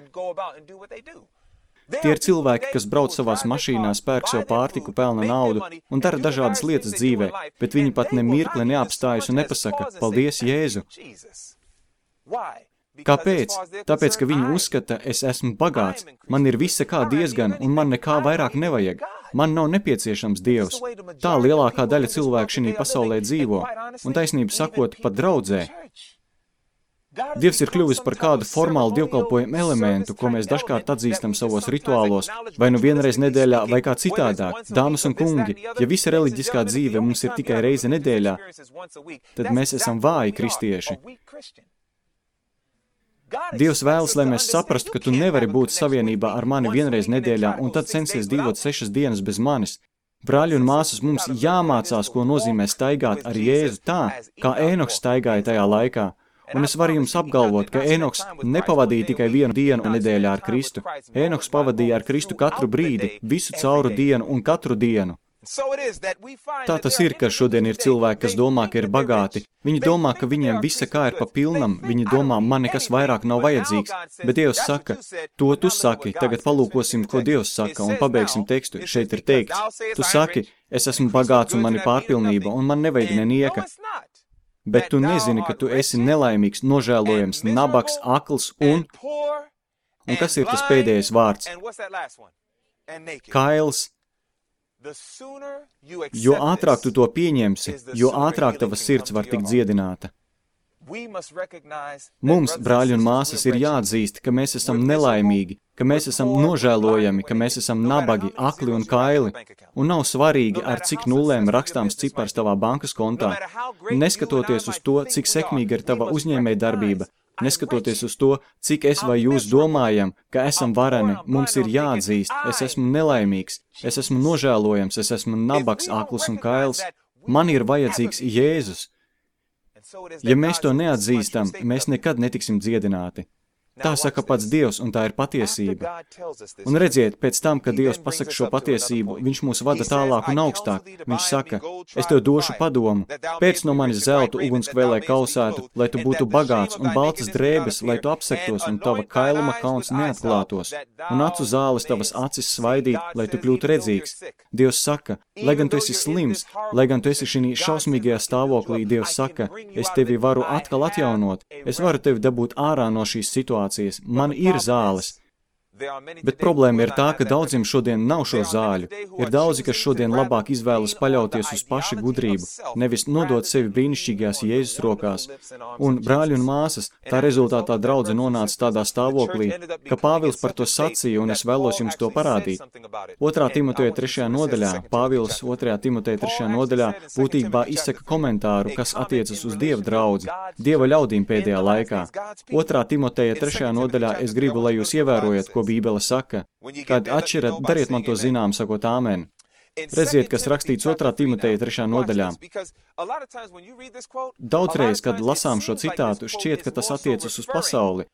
Tie ir cilvēki, kas brauc savās mašīnās, pērk sev pārtiku, pelna naudu un dara dažādas lietas dzīvē, bet viņi pat ne mirkli neapstājas un nepasaka, paldies, Jēzu. Kāpēc? Tāpēc, ka viņi uzskata, es esmu bagāts, man ir visa kā diezgan un man nekā vairāk nevajag. Man nav nepieciešams Dievs. Tā lielākā daļa cilvēku šī pasaulē dzīvo, un taisnību sakot, pat draudzē. Dievs ir kļuvis par kādu formālu dievkalpojumu elementu, ko mēs dažkārt atzīstam savos rituālos, vai nu vienreiz nedēļā, vai kā citādāk. Dāmas un kungi, ja visa reliģiskā dzīve mums ir tikai reize nedēļā, tad mēs esam vāji kristieši. Dievs vēlas, lai mēs saprastu, ka tu nevari būt savienībā ar mani vienreiz nedēļā, un tad censies dzīvot 6 dienas bez manis. Brāļi un māsas, mums jāmācās, ko nozīmē staigāt ar Jēzu tā, kā Ēnoks staigāja tajā laikā. Un es varu jums apgalvot, ka Ēnoks nepavadīja tikai vienu dienu nedēļā ar Kristu. Ēnoks pavadīja ar Kristu katru brīdi, visu cauru dienu un katru dienu. Tā tas ir, ka šodien ir cilvēki, kas domā, ka ir bagāti. Viņi domā, ka viņiem visa kā ir pa pilnam, viņi domā, man nekas vairāk nav vajadzīgs. Bet Dievs saka, to tu saki, tagad palūkosim, ko Dievs saka, un pabeigsim tekstu. Šeit ir teikts, tu saki, es esmu bagāts un man ir pārpilnība, un man nevajag nenieka. Bet tu nezini, ka tu esi nelaimīgs, nožēlojams, nabaks, akls un kas ir tas pēdējais vārds? Kails. Jo ātrāk tu to pieņemsi, jo ātrāk tava sirds var tikt dziedināta. Mums, brāļi un māsas, ir jāatzīst, ka mēs esam nelaimīgi, ka mēs esam nožēlojami, ka mēs esam nabagi, akli un kaili, un nav svarīgi, ar cik nulēm rakstāms cipars tavā bankas kontā. Neskatoties uz to, cik sekmīga ir tava uzņēmējdarbība, neskatoties uz to, cik es vai jūs domājam, ka esam vareni, mums ir jāatzīst, es esmu nelaimīgs, es esmu nožēlojams, es esmu nabaks, akls un kails, man ir vajadzīgs Jēzus. Ja mēs to neatzīstam, mēs nekad netiksim dziedināti. Tā saka pats Dievs, un tā ir patiesība. Un redziet, pēc tam, kad Dievs pasaka šo patiesību, viņš mūs vada tālāk un augstāk. Viņš saka, es tev došu padomu, pēc no manis zeltu ugunskvēlē kausētu, lai tu būtu bagāts, un baltas drēbes, lai tu apsektos, un tava kailuma kauns neatklātos, un acu zāles tavas acis svaidīt, lai tu kļūtu redzīgs. Dievs saka, lai gan tu esi slims, lai gan tu esi šī šausmīgajā stāvoklī, Dievs saka, es tevi varu atkal atjaunot, es varu tevi dabūt ārā no šīs situācijas. Man ir zāles. Bet problēma ir tā, ka daudziem šodien nav šo zāļu. Ir daudzi, kas šodien labāk izvēlas paļauties uz paša gudrību, nevis nodot sevi brīnišķīgajās Jēzus rokās. Un, brāļi un māsas, tā rezultātā draudze nonāca tādā stāvoklī, ka Pāvils par to sacīja, un es vēlos jums to parādīt. 2. Timoteja 3. nodaļā, Pāvils 2. Timoteja 3. nodaļā būtībā izsaka komentāru, kas attiecas uz Dieva draudzi, Dieva ļaudīm pēdējā laikā. 2. Timoteja 3. nodaļā es gribu, lai jūs ievērojat, ko Bībele saka. Kad atšķirat, dariet man to zinām, sakot āmen. Redziet, kas rakstīts 2. Timoteja 3. nodaļā. Daudzreiz, kad lasām šo citātu, šķiet, ka tas attiecas uz pasauli.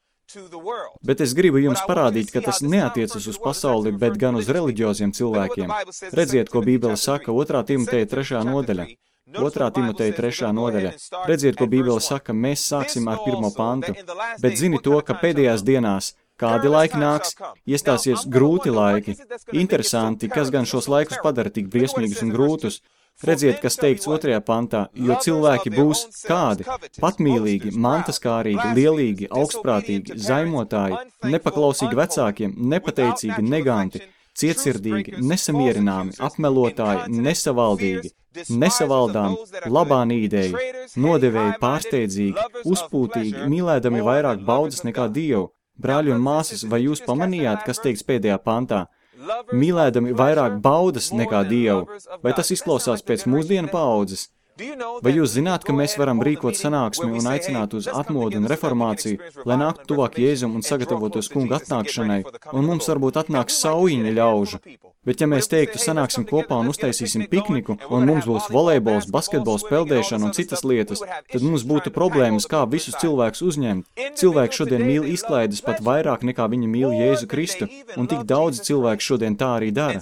Bet es gribu jums parādīt, ka tas neatiecas uz pasauli, bet gan uz reliģioziem cilvēkiem. Redziet, ko Bībele saka 2. Timoteja 3. nodaļa. 2. Timoteja 3. nodaļa. Redziet, ko Bībele saka, mēs sāksim ar 1. pantu. Bet zini to, ka pēdējās dienās kādi laiki nāks, iestāsies grūti laiki. Interesanti, kas gan šos laikus padara tik briesmīgus un grūtus. Redziet, kas teikts 2. pantā, jo cilvēki būs kādi, patmīlīgi, mantaskārīgi, lielīgi, augstprātīgi, zaimotāji, nepaklausīgi vecākiem, nepateicīgi, neganti, cietsirdīgi, nesamierināmi, apmelotāji, nesavaldīgi, nesavaldām, labā nīdēji, nodevēji, pārsteidzīgi, uzpūtīgi, mīlēdami vairāk baudas nekā Dievu. Brāļi un māsas, vai jūs pamanījāt, kas teikts pēdējā pantā? Mīlēdami vairāk baudas nekā Dievu. Vai tas izklausās pēc mūsdienu paaudzes? Vai jūs zināt, ka mēs varam rīkot sanāksmi un aicināt uz atmodu un reformāciju, lai nāktu tuvāk Jēzum un sagatavotos kunga atnākšanai, un mums varbūt atnāks saujiņa ļaužu? Bet ja mēs teiktu, sanāksim kopā un uztaisīsim pikniku, un mums būs volejbols, basketbols, peldēšana un citas lietas, tad mums būtu problēmas, kā visus cilvēkus uzņemt. Cilvēki šodien mīl izklaides pat vairāk nekā viņi mīl Jēzu Kristu, un tik daudz cilvēku šodien tā arī dara.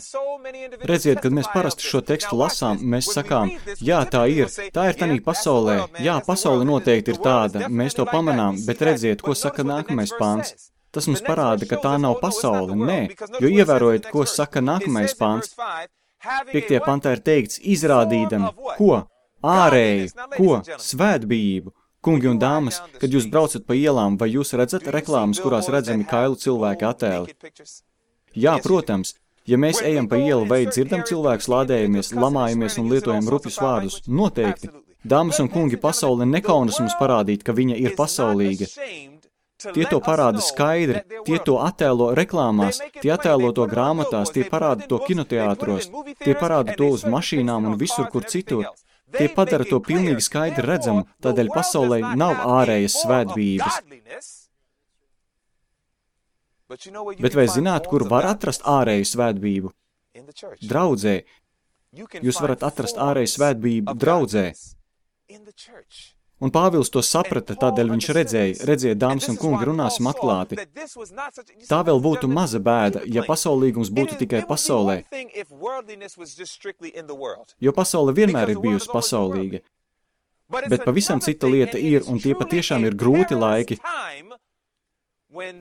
Redziet, kad mēs parasti šo tekstu lasām, mēs sakām, jā, tā ir tanī pasaulē, jā, pasaule noteikti ir tāda, mēs to pamanām, bet redziet, ko saka nākamais pants. Tas mums parāda, ka tā nav pasaule, nē, jo ievērojiet, ko saka nākamais pants. 5. pantā ir teikts, izrādīdami, ko? Ārēju, ko? Svētbijību. Kungi un dāmas, kad jūs braucat pa ielām, vai jūs redzat reklāmas, kurās redzami kailu cilvēki attēli? Jā, protams. Ja mēs ejam pa ielu vai dzirdam cilvēkus, lādējamies, lamājamies un lietojam rupjus vārdus, noteikti. Dāmas un kungi, pasaule nekaunas mums parādīt, ka viņa ir pasaulīga. Tie to parāda skaidri, tie to attēlo reklāmās, tie attēlo to grāmatās, tie parāda to kinoteātros, tie parāda to uz mašīnām un visur, kur citur. Tie padara to pilnīgi skaidri redzamu, tādēļ pasaulē nav ārējas svētbijības. Bet vai zināt, kur var atrast ārēju svētbijību? Draudzē. Jūs varat atrast ārēju svētbijību draudzē. Un Pāvils to saprata, tādēļ viņš redziet, dāmas un kungi, runāsim atklāti. Tā vēl būtu maza bēda, ja pasaulīgums būtu tikai pasaulē. Jo pasaule vienmēr ir bijusi pasaulīga. Bet pavisam cita lieta ir, un tie patiešām ir grūti laiki,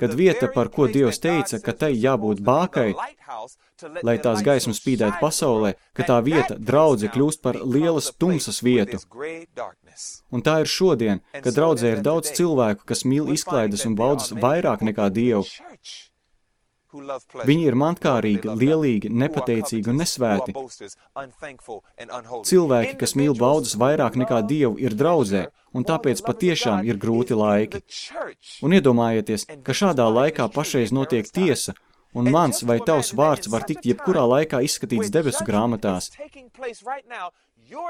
kad vieta, par ko Dievs teica, ka tai jābūt bākai, lai tās gaismas spīdētu pasaulē, ka tā vieta, draudze, kļūst par lielas tumsas vietu. Un tā ir šodien, kad draudzē ir daudz cilvēku, kas mīl izklaides un baudas vairāk nekā Dievu. Viņi ir mantkārīgi, lielīgi, nepateicīgi un nesvēti. Cilvēki, kas mīl baudas vairāk nekā Dievu, ir draudzē, un tāpēc patiešām ir grūti laiki. Un iedomājieties, ka šādā laikā pašreiz notiek tiesa, un mans vai tavs vārds var tikt jebkurā laikā izskatīts debesu grāmatās.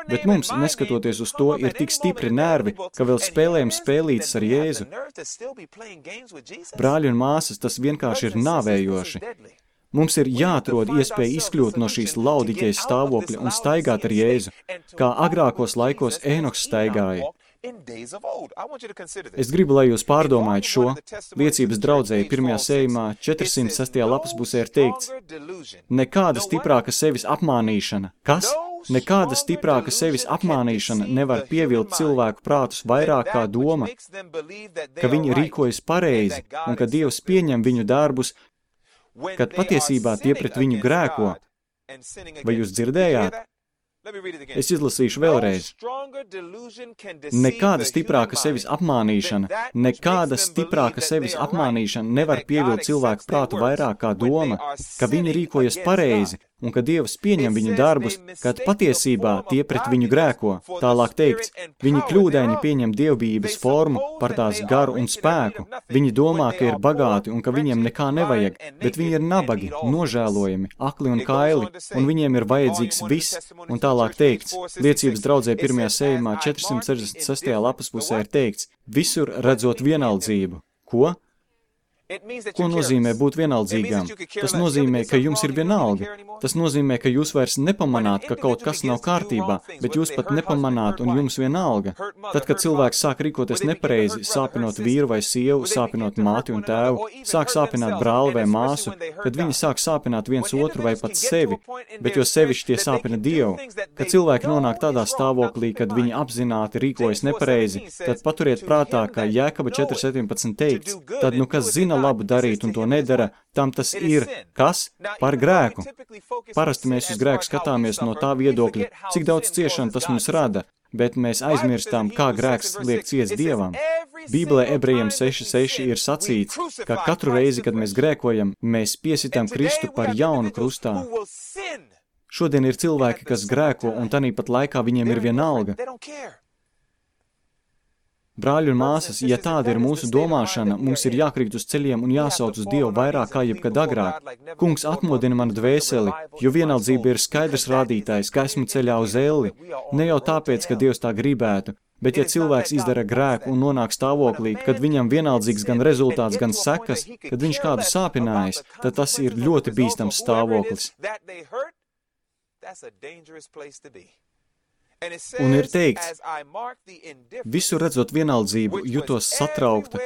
Bet mums, neskatoties uz to, ir tik stipri nervi, ka vēl spēlējam spēlītas ar Jēzu. Brāļi un māsas, tas vienkārši ir nāvējoši. Mums ir jāatrod iespēja izkļūt no šīs laudiķejas stāvokļa un staigāt ar Jēzu, kā agrākos laikos Ēnoks staigāja. Es gribu, lai jūs pārdomājat šo. Liecības draudzēji 1. sējumā 406. lapas pusē ir teikts: nekāda stiprāka sevis apmānīšana. Kas? Nekāda stiprāka sevis apmānīšana nevar pievilkt cilvēku prātus vairāk kā doma, ka viņi rīkojas pareizi un ka Dievs pieņem viņu darbus, kad patiesībā tie pret viņu grēko. Vai jūs dzirdējāt? Es izlasīšu vēlreiz. Nekāda stiprāka sevis apmānīšana nevar pievilt cilvēku prātu vairāk kā doma, ka viņi rīkojas pareizi un ka Dievs pieņem viņu darbus, kad patiesībā tie pret viņu grēko. Tālāk teikts, viņi kļūdaini pieņem dievbijības formu par tās garu un spēku. Viņi domā, ka ir bagāti un ka viņiem nekā nevajag, bet viņi ir nabagi, nožēlojami, akli un kaili, un viņiem ir vajadzīgs viss. Un tālāk teikts, liecības draudzē 1. sējumā 466. lapas pusē ir teikts, visur redzot vienaldzību. Ko? Ko nozīmē būt vienaldzīgām? Tas nozīmē, ka jums ir vienalga. Tas nozīmē, ka jūs vairs nepamanāt, ka kaut kas nav kārtībā, bet jūs pat nepamanāt un jums vienalga. Tad, kad cilvēks sāk rīkoties nepareizi, sāpinot vīru vai sievu, sāpinot māti un tēvu, sāk sāpināt brāli vai māsu, kad viņi sāk sāpināt viens otru vai pat sevi, bet jo sevišķi tie sāpina Dievu. Kad cilvēki nonāk tādā stāvoklī, kad viņi apzināti rīkojas nepareizi, tad paturiet prātā, ka Jēkaba 4.17 teikts, tad nu kas zina labu darīt un to nedara, tam tas ir, kas? Par grēku. Parasti mēs uz grēku skatāmies no tā viedokļa, cik daudz ciešanu tas mums rada, bet mēs aizmirstām, kā grēks liek ciest Dievam. Bībelē Ebrejiem 6.6 ir sacīts, ka katru reizi, kad mēs grēkojam, mēs piesitām Kristu par jaunu krustā. Šodien ir cilvēki, kas grēko, un tanīpat laikā viņiem ir vienalga. Brāļi un māsas, ja tāda ir mūsu domāšana, mums ir jākrīt uz ceļiem un jāsauc uz Dievu vairāk kā jebkad agrāk. Kungs atmodina manu dvēseli, jo vienaldzība ir skaidrs rādītājs, ka esmu ceļā uz elli. Ne jau tāpēc, ka Dievs tā gribētu, bet ja cilvēks izdara grēku un nonāk stāvoklī, kad viņam vienaldzīgs gan rezultāts, gan sekas, kad viņš kādu sāpinājis, tad tas ir ļoti bīstams stāvoklis. Un ir teikts, visu redzot vienaldzību, jutos satraukta,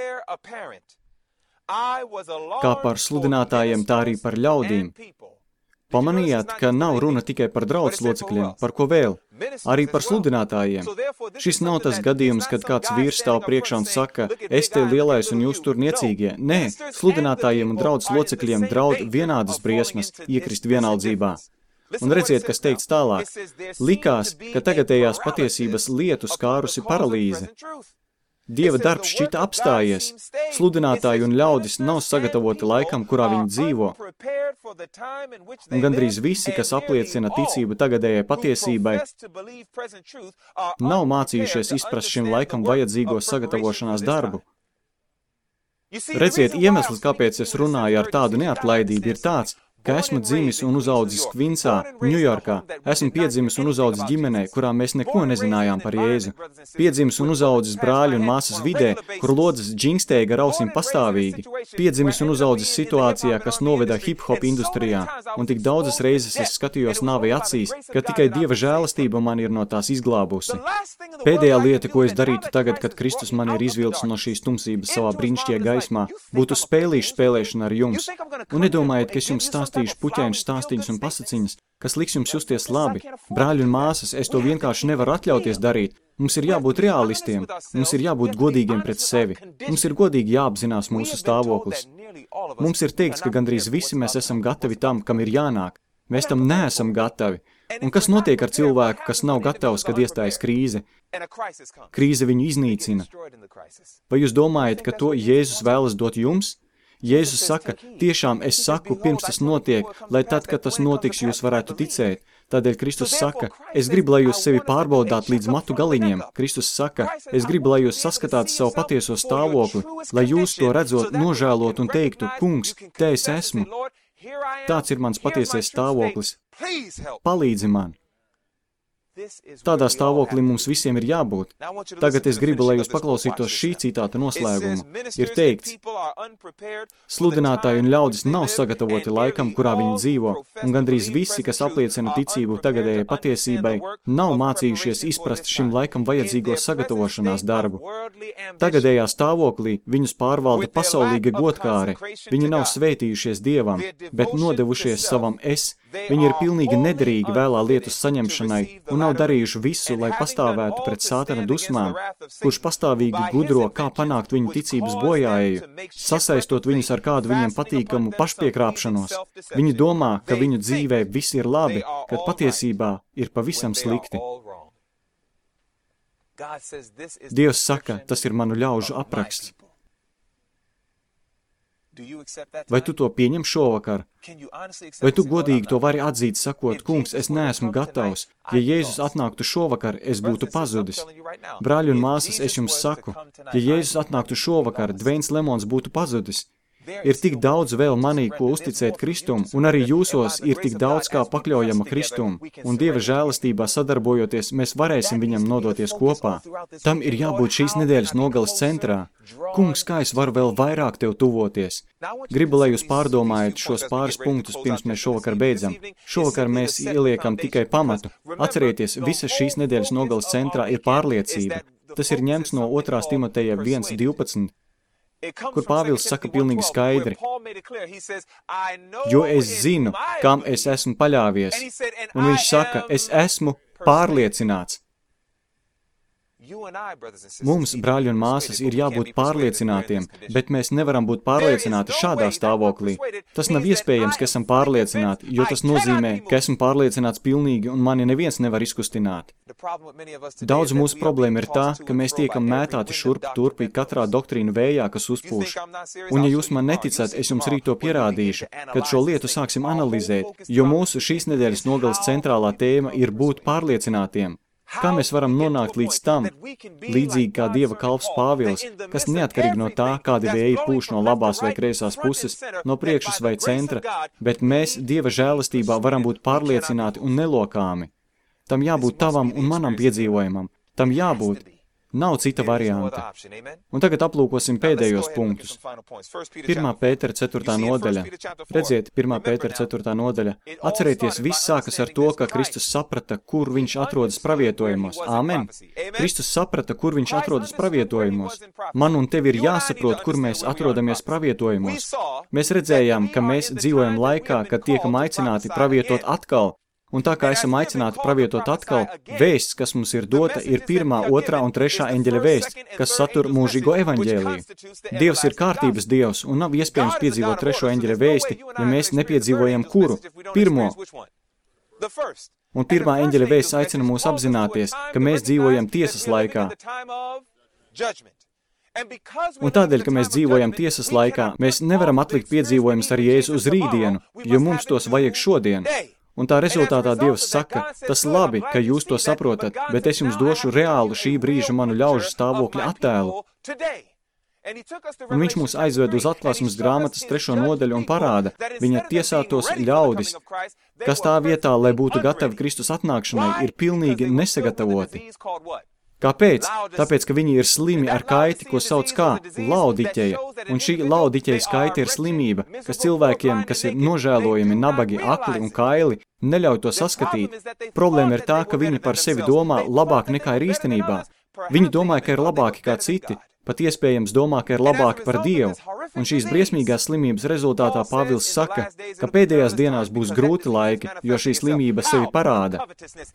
kā par sludinātājiem, tā arī par ļaudīm. Pamanījāt, ka nav runa tikai par draudzes locekļiem, par ko vēl? Arī par sludinātājiem. Šis nav tas gadījums, kad kāds vīrs stāv priekšā un saka, es te lielais un jūs tur niecīgie. Nē, sludinātājiem un draudzes locekļiem draud vienādas briesmas iekrist vienaldzībā. Un redziet, kas teikts tālāk. Likās, ka tagadējās patiesības lietu skārusi paralīze. Dieva darbs šķita apstājies. Sludinātāji un ļaudis nav sagatavoti laikam, kurā viņi dzīvo. Un gandrīz visi, kas apliecina ticību tagadējai patiesībai, nav mācījušies izprast šim laikam vajadzīgo sagatavošanās darbu. Redziet, iemesls, kāpēc es runāju ar tādu neatlaidību, ir tāds, ka esmu dzimis un uzaudzis Kvinsā, Ņujorkā. Esmu piedzimis un uzaudzis ģimenē, kurā mēs neko nezinājām par Jēzu. Piedzimis un uzaudzis brāļu un māsas vidē, kur lodzes džingstēja gar ausīm pastāvīgi. Piedzimis un uzaudzis situācijā, kas noveda hip-hop industrijā. Un tik daudzas reizes es skatījos nāvei acīs, ka tikai Dieva žēlastība man ir no tās izglābusi. Pēdējā lieta, ko es darītu tagad, kad Kristus man ir izvilcis no šīs tumsības savā brīnišķīgajā gaismā, būtu spēlēšana ar jums. Un nedomājiet, ka es jums stāstīšu puķēņu stāstīņus un pasaciņas, kas liks jums justies labi. Brāļi un māsas, es to vienkārši nevaru atļauties darīt. Mums ir jābūt realistiem, mums ir jābūt godīgiem pret sevi. Mums ir godīgi jāapzinās mūsu stāvoklis. Mums ir teikts, ka gandrīz visi mēs esam gatavi tam, kam ir jānāk. Mēs tam neesam gatavi. Un kas notiek ar cilvēku, kas nav gatavs, kad iestājas krīze? Krīze viņu iznīcina. Vai jūs domājat, ka to Jēzus vēlas dot jums? Jēzus saka, tiešām es saku, pirms tas notiek, lai tad, kad tas notiks, jūs varētu ticēt. Tādēļ Kristus saka, es gribu, lai jūs sevi pārbaudāt līdz matu galiņiem. Kristus saka, es gribu, lai jūs saskatāt savu patieso stāvokli, lai jūs to redzot, nožēlot un teiktu, kungs, te es esmu. Tāds ir mans patiesais stāvoklis. Palīdzi man. Tādā stāvoklī mums visiem ir jābūt. Tagad es gribu, lai jūs paklausītos šī citāta noslēgumu. Ir teikts, sludinātāji un ļaudis nav sagatavoti laikam, kurā viņi dzīvo, un gandrīz visi, kas apliecina ticību tagadējai patiesībai, nav mācījušies izprast šim laikam vajadzīgo sagatavošanās darbu. Tagadējā stāvoklī viņus pārvalda pasaulīga godkāre. Viņi nav svētījušies Dievam, bet nodevušies savam es. Viņi ir pilnīgi nederīgi vēlā lietas saņemšanai un nav darījuši visu, lai pastāvētu pret Sātana dusmām, kurš pastāvīgi gudro, kā panākt viņu ticības bojāēju, sasaistot viņus ar kādu viņiem patīkamu pašpiekrāpšanos. Viņi domā, ka viņu dzīvē viss ir labi, kad patiesībā ir pavisam slikti. Dievs saka, tas ir manu ļaužu apraksts. Vai tu to pieņem šovakar? Vai tu godīgi to vari atzīt, sakot, kungs, es neesmu gatavs. Ja Jēzus atnāktu šovakar, es būtu pazudis. Brāļi un māsas, es jums saku, ja Jēzus atnāktu šovakar, Dveins Lemons būtu pazudis. Ir tik daudz vēl manī, ko uzticēt Kristum, un arī jūsos ir tik daudz kā pakļaujama Kristum, un Dieva žēlastībā sadarbojoties, mēs varēsim viņam nodoties kopā. Tam ir jābūt šīs nedēļas nogales centrā. Kungs, kā es varu vēl vairāk tev tuvoties? Gribu, lai jūs pārdomājat šos pāris punktus, pirms mēs šovakar beidzam. Šovakar mēs ieliekam tikai pamatu. Atcerieties, visas šīs nedēļas nogales centrā ir pārliecība. Tas ir ņemts no 2. Timoteja 1:12. Kur Pāvils saka pilnīgi skaidri, jo es zinu, kam es esmu paļāvies, un viņš saka, es esmu pārliecināts. Mums, brāļi un māsas, ir jābūt pārliecinātiem, bet mēs nevaram būt pārliecināti šādā stāvoklī. Tas nav iespējams, ka esam pārliecināti, jo tas nozīmē, ka esmu pārliecināts pilnīgi un mani neviens nevar izkustināt. Daudz mūsu problēma ir tā, ka mēs tiekam mētāti šurp turpi katrā doktrīnu vējā, kas uzpūš. Un ja jūs man neticat, es jums rīt to pierādīšu, kad šo lietu sāksim analizēt, jo mūsu šīs nedēļas nogales centrālā tēma ir būt pārliecinātiem. Kā mēs varam nonākt līdz tam, līdzīgi kā Dieva kalps Pāvils, kas neatkarīgi no tā, kādi vēji pūš no labās vai kreisās puses, no priekšas vai centra, bet mēs Dieva žēlastībā varam būt pārliecināti un nelokāmi. Tam jābūt tavam un manam piedzīvojumam. Tam jābūt. Nav cita varianta. Un tagad aplūkosim pēdējos punktus. 1. Pētera 4. nodaļa. Redziet, 1. Pētera 4. nodaļa. Atcerieties, viss sākas ar to, ka Kristus saprata, kur viņš atrodas pravietojumos. Āmen. Kristus saprata, kur viņš atrodas pravietojumos. Man un tev ir jāsaprot, kur mēs atrodamies pravietojumos. Mēs redzējām, ka mēs dzīvojam laikā, kad tiekam aicināti pravietot atkal. Un tā kā esam aicināti pravietot atkal, vēsts, kas mums ir dota, ir 1., 2. un 3. eņģeļa vēsts, kas satur mūžīgo evaņģēliju. Dievs ir kārtības Dievs, un nav iespējams piedzīvot 3. eņģeļa vēsti, ja mēs nepiedzīvojam kuru? 1. Un 1. eņģeļa vēsts aicina mūs apzināties, ka mēs dzīvojam tiesas laikā. Un tādēļ, ka mēs dzīvojam tiesas laikā, mēs nevaram atlikt piedzīvojumus ar Jēzu uz rītdienu, jo mums tos vajag šodien. Un tā rezultātā Dievs saka, tas labi, ka jūs to saprotat, bet es jums došu reālu šī brīža manu ļaužu stāvokļa attēlu. Un viņš mūs aizved uz atklāsmes grāmatas 3. nodaļu un parāda viņa tiesātos ļaudis, kas tā vietā, lai būtu gatavi Kristus atnākšanai, ir pilnīgi nesagatavoti. Kāpēc? Tāpēc, ka viņi ir slimi ar kaiti, ko sauc kā Laodiķeja. Un šī Laodiķejas kaita ir slimība, kas cilvēkiem, kas ir nožēlojami, nabagi, akli un kaili, neļauj to saskatīt. Problēma ir tā, ka viņi par sevi domā labāk nekā ir īstenībā. Viņi domā, ka ir labāki kā citi, pat iespējams domā, ka ir labāki par Dievu. Un šīs briesmīgās slimības rezultātā Pāvils saka, ka pēdējās dienās būs grūti laiki, jo šī slimība sevi parāda.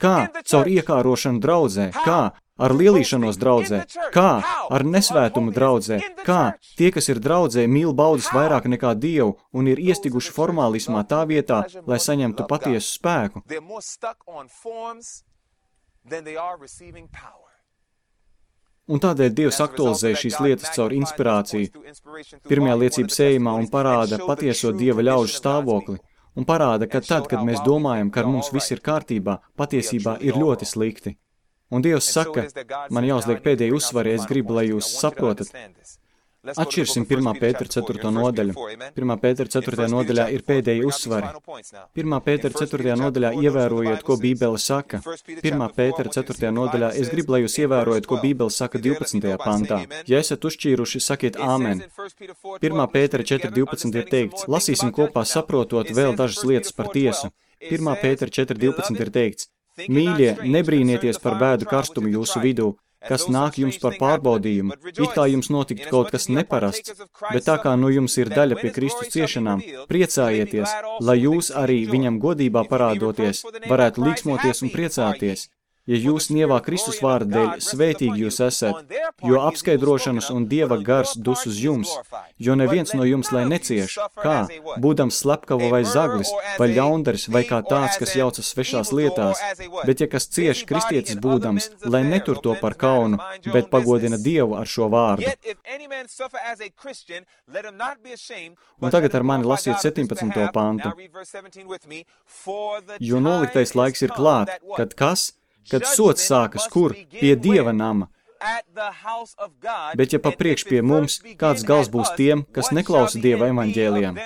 Kā? Caur iekārošanu draudzē. Kā? Ar lielīšanos draudzē. Kā? Ar nesvētumu draudzē. Kā? Tie, kas ir draudzē, mīl baudas vairāk nekā Dievu un ir iestiguši formālismā tā vietā, lai saņemtu patiesu spēku. Un tādēļ Dievs aktualizē šīs lietas caur inspirāciju. Pirmajā liecības ejamā un parāda patieso Dieva ļaužu stāvokli. Un parāda, ka tad, kad mēs domājam, ka ar mums viss ir kārtībā, patiesībā ir ļoti slikti. Un Dievs saka, man jāuzliek pēdējie uzsvari, es gribu, lai jūs saprotat. Atšķirsim 1. Pētera 4. nodaļu. 1. Pētera 4. nodaļā ir pēdējie uzsvari. 1. Pētera 4. nodaļā ievērojiet, ko Bībele saka. 1. Pētera 4. nodaļā es gribu, lai jūs ievērojat, ko Bībele saka 12. pantā. Ja esat uzšķīruši, sakiet āmen. 1. Pētera 4.12 ir teikts, lasīsim kopā saprotot vēl dažas lietas par tiesu. 1. Pētera 4.12 ir teikts, mīļie, nebrīnieties par bēdu karstumu jūsu vidū, kas nāk jums par pārbaudījumu, it kā jums notiktu kaut kas neparasts, bet tā kā nu jums ir daļa pie Kristus ciešanām, priecājieties, lai jūs arī viņam godībā parādoties, varētu līksmoties un priecāties. Ja jūs nievā Kristus vārda dēļ svētīgi jūs esat, jo apskaidrošanas un Dieva gars dus uz jums, jo neviens no jums lai necieš, kā, būdams slepkava vai zaglis, vai ļaundaris, vai kā tāds, kas jaucas svešās lietās, bet ja kas cieš kristietis būdams, lai netur to par kaunu, bet pagodina Dievu ar šo vārdu. Un tagad ar mani lasiet 17. pantu. Jo noliktais laiks ir klāt, kad sods sākas kur? Pie Dieva nama. Bet ja papriekš pie mums, kāds gals būs tiem, kas neklausa Dieva evaņģēlijam?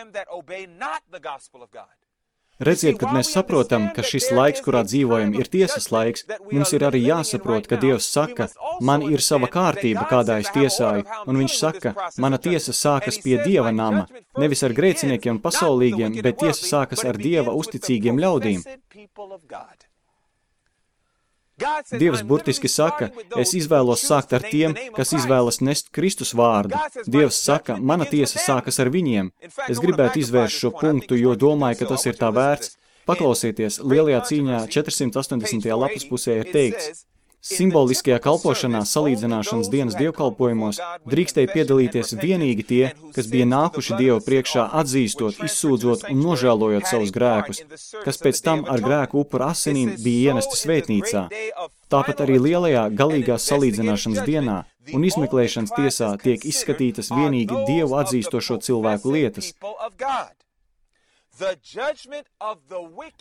Redziet, kad mēs saprotam, ka šis laiks, kurā dzīvojam, ir tiesas laiks, mums ir arī jāsaprot, ka Dievs saka, man ir sava kārtība, kādā es tiesāju, un viņš saka, mana tiesa sākas pie Dieva nama, nevis ar grēciniekiem un pasaulīgiem, bet tiesa sākas ar Dieva uzticīgiem ļaudīm. Dievs burtiski saka, es izvēlos sākt ar tiem, kas izvēlas nest Kristus vārdu. Dievs saka, mana tiesa sākas ar viņiem. Es gribētu izvērst šo punktu, jo domāju, ka tas ir tā vērts. Paklausieties, lielajā cīņā 480. lapas pusē ir teikts, simboliskajā kalpošanā salīdzināšanas dienas dievkalpojumos drīkstēja piedalīties vienīgi tie, kas bija nākuši Dievu priekšā atzīstot, izsūdzot un nožēlojot savus grēkus, kas pēc tam ar grēku upura asinīm bija ienesti svētnīcā. Tāpat arī lielajā galīgās salīdzināšanas dienā un izmeklēšanas tiesā tiek izskatītas vienīgi Dievu atzīstošo cilvēku lietas.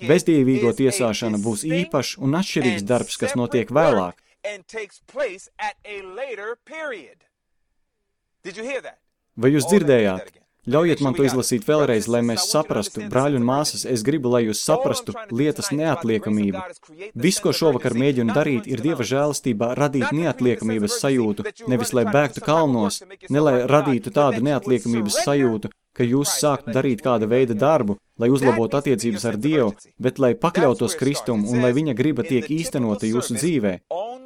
Bezdievīgo tiesāšana būs īpašs un atšķirīgs darbs, kas notiek vēlāk. Vai jūs dzirdējāt? Ļaujiet man to izlasīt vēlreiz, lai mēs saprastu, brāļi un māsas, es gribu, lai jūs saprastu lietas neatliekamību. Viss, ko šovakar mēģinu darīt, ir Dieva žēlastībā radīt neatliekamības sajūtu, nevis lai bēgtu kalnos, ne lai radītu tādu neatliekamības sajūtu, ka jūs sāktu darīt kāda veida darbu, lai uzlabotu attiecības ar Dievu, bet lai pakļautos Kristumu un lai viņa griba tiek īstenota jūsu dzīvē.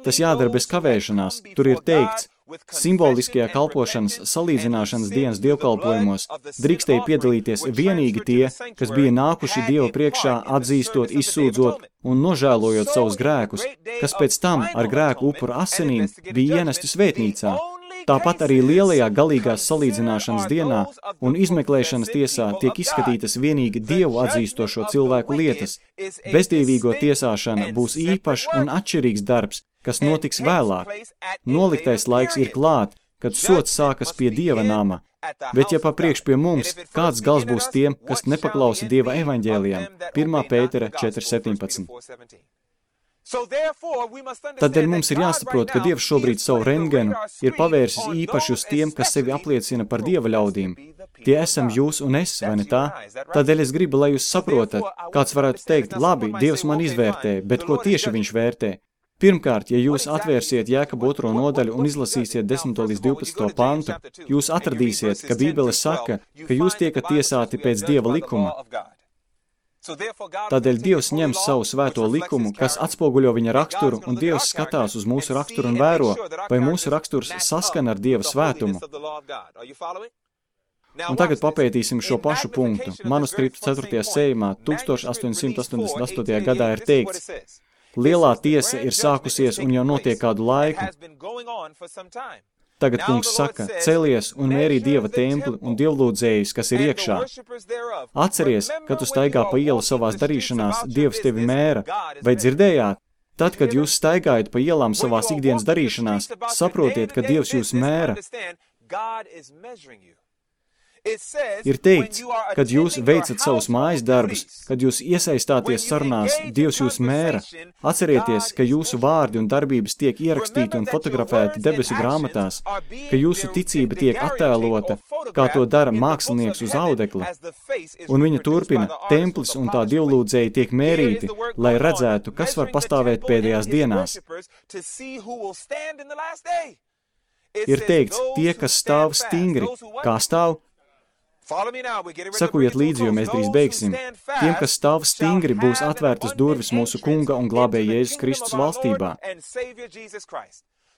Tas jādara bez kavēšanās. Tur ir teikts, simboliskajā kalpošanas salīdzināšanas dienas dievkalpojumos drīkstēja piedalīties vienīgi tie, kas bija nākuši Dievu priekšā atzīstot, izsūdzot un nožēlojot savus grēkus, kas pēc tam ar grēku upura asinīm bija ienesti svētnīcā. Tāpat arī lielajā galīgās salīdzināšanas dienā un izmeklēšanas tiesā tiek izskatītas vienīgi Dievu atzīstošo cilvēku lietas. Bezdievīgo tiesāšana būs īpašs un atšķirīgs darbs, kas notiks vēlāk. Noliktais laiks ir klāt, kad sods sākas pie Dieva nama. Bet ja papriekš pie mums, kāds gals būs tiem, kas nepaklausa Dieva evaņģēlijam? 1. Pētera 4:17. Tādēļ mums ir jāsaprot, ka Dievs šobrīd savu rentgenu ir pavērsis īpaši uz tiem, kas sevi apliecina par Dieva ļaudīm. Tie esam jūs un es, vai ne tā? Tādēļ es gribu, lai jūs saprotat, kāds varētu teikt, labi, Dievs man izvērtē, bet ko tieši viņš vērtē? Pirmkārt, ja jūs atvērsiet Jēkabu 2. nodaļu un izlasīsiet 10. līdz 12. pantu, jūs atradīsiet, ka Bībele saka, ka jūs tiekat tiesāti pēc Dieva likuma. Tādēļ Dievs ņem savu svēto likumu, kas atspoguļo viņa raksturu, un Dievs skatās uz mūsu raksturu un vēro, vai mūsu raksturs saskana ar Dieva svētumu. Un tagad papētīsim šo pašu punktu. Manuskriptu 4. sējumā 1888. gadā ir teikts, lielā tiesa ir sākusies un jau notiek kādu laiku. Tagad kungs saka, celies un mērī Dieva templi un dievlūdzējus, kas ir iekšā. Atceries, kad tu staigā pa ielu savās darīšanās, Dievs tevi mēra. Vai dzirdējāt? Tad, kad jūs staigājat pa ielām savās ikdienas darīšanās, saprotiet, ka Dievs jūs mēra. Ir teikts, kad jūs veicat savus mājas darbus, kad jūs iesaistāties sarunās, Dievs jūs mēra. Atcerieties, ka jūsu vārdi un darbības tiek ierakstīti un fotografēti debesu grāmatās, ka jūsu ticība tiek attēlota, kā to dara mākslinieks uz audekla. Un viņa turpina, templis un tā dievlūdzēji tiek mērīti, lai redzētu, kas var pastāvēt pēdējās dienās. Ir teikts, tie, kas stāv stingri, kā stāv? Sakojiet līdzi, jo mēs drīz beigsim. Tiem, kas stāv stingri, būs atvērtas durvis mūsu Kunga un glābēja Jēzus Kristus valstībā.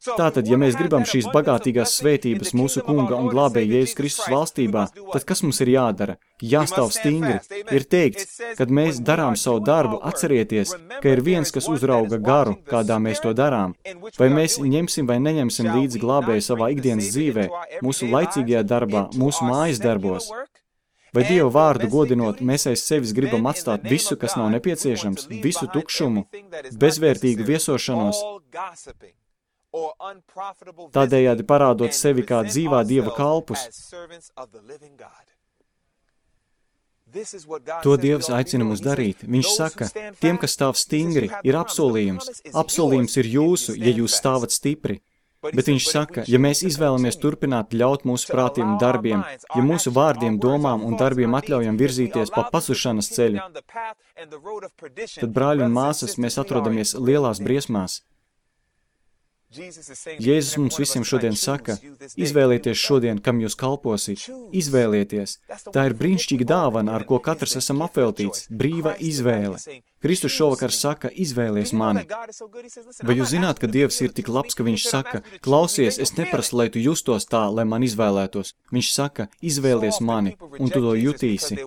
Tātad, ja mēs gribam šīs bagātīgās svētības mūsu kunga un glābēja Jēzus Kristus valstībā, tad kas mums ir jādara? Jāstāv stingri. Ir teikts, kad mēs darām savu darbu, atcerieties, ka ir viens, kas uzrauga garu, kādā mēs to darām. Vai mēs ņemsim vai neņemsim līdzi glābēju savā ikdienas dzīvē, mūsu laicīgajā darbā, mūsu mājas darbos? Vai Dievu vārdu godinot, mēs aiz sevis gribam atstāt visu, kas nav nepieciešams, visu tukšumu, bezvērtīgu viesošanos, tādējādi parādot sevi kā dzīvā Dieva kalpus? To Dievs aicina mūs darīt. Viņš saka, tiem, kas stāv stingri, ir apsolījums. Apsolījums ir jūsu, ja jūs stāvat stipri. Bet viņš saka, ja mēs izvēlamies turpināt ļaut mūsu prātiem un darbiem, ja mūsu vārdiem, domām un darbiem atļaujam virzīties pa pazušanas ceļu, tad, brāļi un māsas, mēs atrodamies lielās briesmās. Jēzus mums visiem šodien saka, izvēlieties šodien, kam jūs kalposit. Izvēlieties. Tā ir brīnišķīga dāvana, ar ko katrs esam apveltīts. Brīva izvēle. Kristus šovakar saka, izvēlies mani. Vai jūs zināt, ka Dievs ir tik labs, ka viņš saka, klausies, es neprasu, lai tu justos tā, lai man izvēlētos. Viņš saka, izvēlies mani, un tu to jutīsi.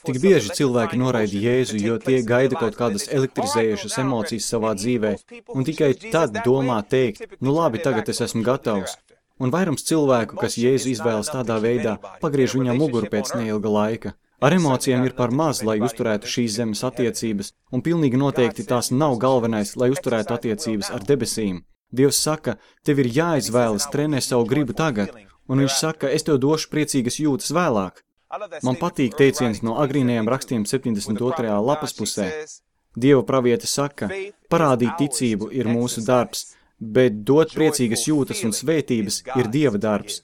Tik bieži cilvēki noraida Jēzu, jo tie gaida kaut kādas elektrizējušas emocijas savā dzīvē, un tikai tad domā teikt, nu labi, tagad es esmu gatavs. Un vairums cilvēku, kas Jēzu izvēlas tādā veidā, pagriež viņam muguru pēc neilga laika. Ar emocijām ir par maz, lai uzturētu šīs zemes attiecības, un pilnīgi noteikti tās nav galvenais, lai uzturētu attiecības ar debesīm. Dievs saka, tev ir jāizvēlas, trenē savu gribu tagad, un viņš saka, es tev došu priecīgas jūtas vēlāk. Man patīk teiciens no agrīnajiem rakstiem 72. lapas pusē. Dieva praviete saka, parādīt ticību ir mūsu darbs, bet dot priecīgas jūtas un svētības ir Dieva darbs.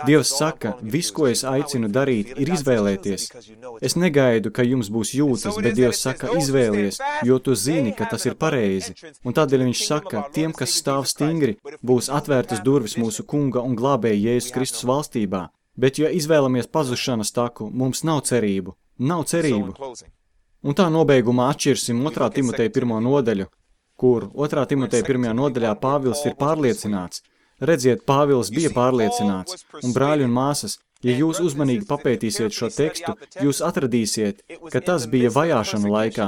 Dievs saka, viss, ko es aicinu darīt, ir izvēlēties. Es negaidu, ka jums būs jūtas, bet Dievs saka, izvēlies, jo tu zini, ka tas ir pareizi. Un tādēļ viņš saka, tiem, kas stāv stingri, būs atvērtas durvis mūsu kunga un glābēja Jēzus Kristus valstībā. Bet, ja izvēlamies pazušanas taku, mums nav cerību. Nav cerību. Un tā nobeigumā atšķirsim 2. Timoteja 1. nodaļu, kur 2. Timoteja 1. nodaļā Pāvils ir pārliecināts. Redziet, Pāvils bija pārliecināts, un brāļi un māsas, ja jūs uzmanīgi papētīsiet šo tekstu, jūs atradīsiet, ka tas bija vajāšanu laikā.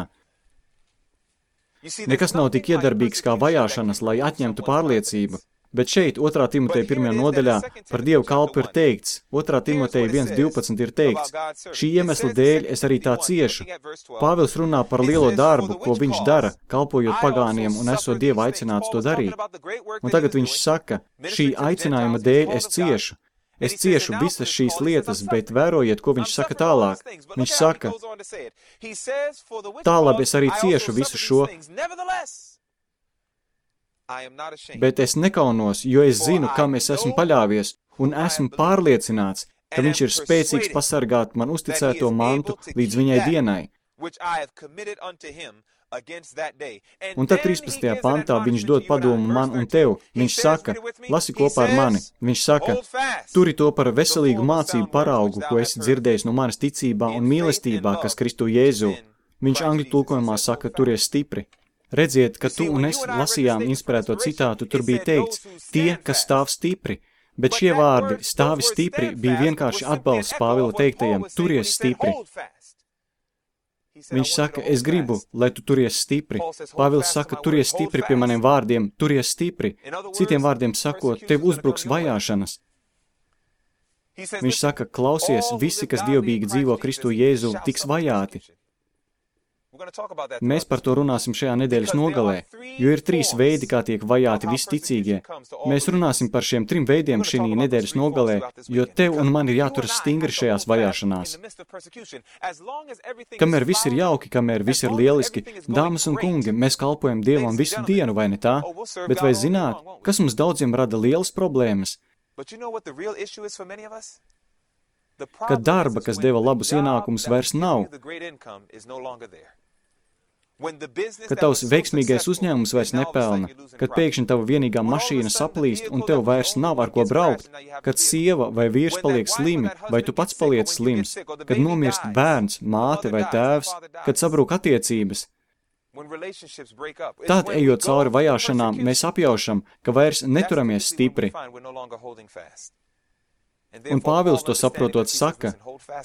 Nekas nav tik iedarbīgs kā vajāšanas, lai atņemtu pārliecību, bet šeit 2. Timoteja 1. nodaļā par Dievu kalpu ir teikts, 2. Timoteja 1.12 ir teikts, šī iemesla dēļ es arī tā ciešu. Pāvils runā par lielo darbu, ko viņš dara, kalpojot pagāniem un esot Dieva aicināts to darīt. Un tagad viņš saka, šī aicinājuma dēļ es ciešu. Es ciešu visas šīs lietas, bet vērojiet, ko viņš saka tālāk. Viņš saka, tālāk es arī ciešu visu šo, bet es nekaunos, jo es zinu, kam es esmu paļāvies, un esmu pārliecināts, ka viņš ir spēcīgs pasargāt man uzticēto mantu līdz viņai dienai. Un tad 13. pantā viņš dod padomu man un tev. Viņš saka, lasi kopā ar mani. Viņš saka, turi to par veselīgu mācību paraugu, ko esi dzirdējis no manas ticībā un mīlestībā, kas Kristu Jēzu. Viņš angļu tulkojumā saka, turies stipri. Redziet, ka tu un es lasījām inspirēto citātu, tur bija teikts, tie, kas stāv stipri. Bet šie vārdi, stāvi stipri, bija vienkārši atbalsts Pāvila teiktajam, turies stipri. Viņš saka, es gribu, lai tu turies stipri. Pāvils saka, turies stipri pie maniem vārdiem, turies stipri. Citiem vārdiem sakot, tev uzbruks vajāšanas. Viņš saka, klausies, visi, kas dievbīgi dzīvo Kristu Jēzu, tiks vajāti. Mēs par to runāsim šajā nedēļas nogalē, jo ir 3 veidi, kā tiek vajāti visi ticīgie. Mēs runāsim par šiem 3 veidiem šī nedēļas nogalē, jo tev un man ir jāturas stingri šajās vajāšanās. Kamēr viss ir jauki, kamēr viss ir lieliski, dāmas un kungi, mēs kalpojam Dievam visu dienu, vai ne tā? Bet vai zināt, kas mums daudziem rada lielas problēmas? Kad darba, kas deva labus ienākumus, vairs nav. Kad tavs veiksmīgais uzņēmums vairs nepelna, kad pēkšņi tava vienīgā mašīna saplīst un tev vairs nav ar ko braukt, kad sieva vai vīrs paliek slimi, vai tu pats paliec slims, kad nomirst bērns, māte vai tēvs, kad sabrūk attiecības, Tad, ejot cauri vajāšanām, mēs apjaušam, ka vairs neturamies stipri. Un Pāvils to saprotot saka,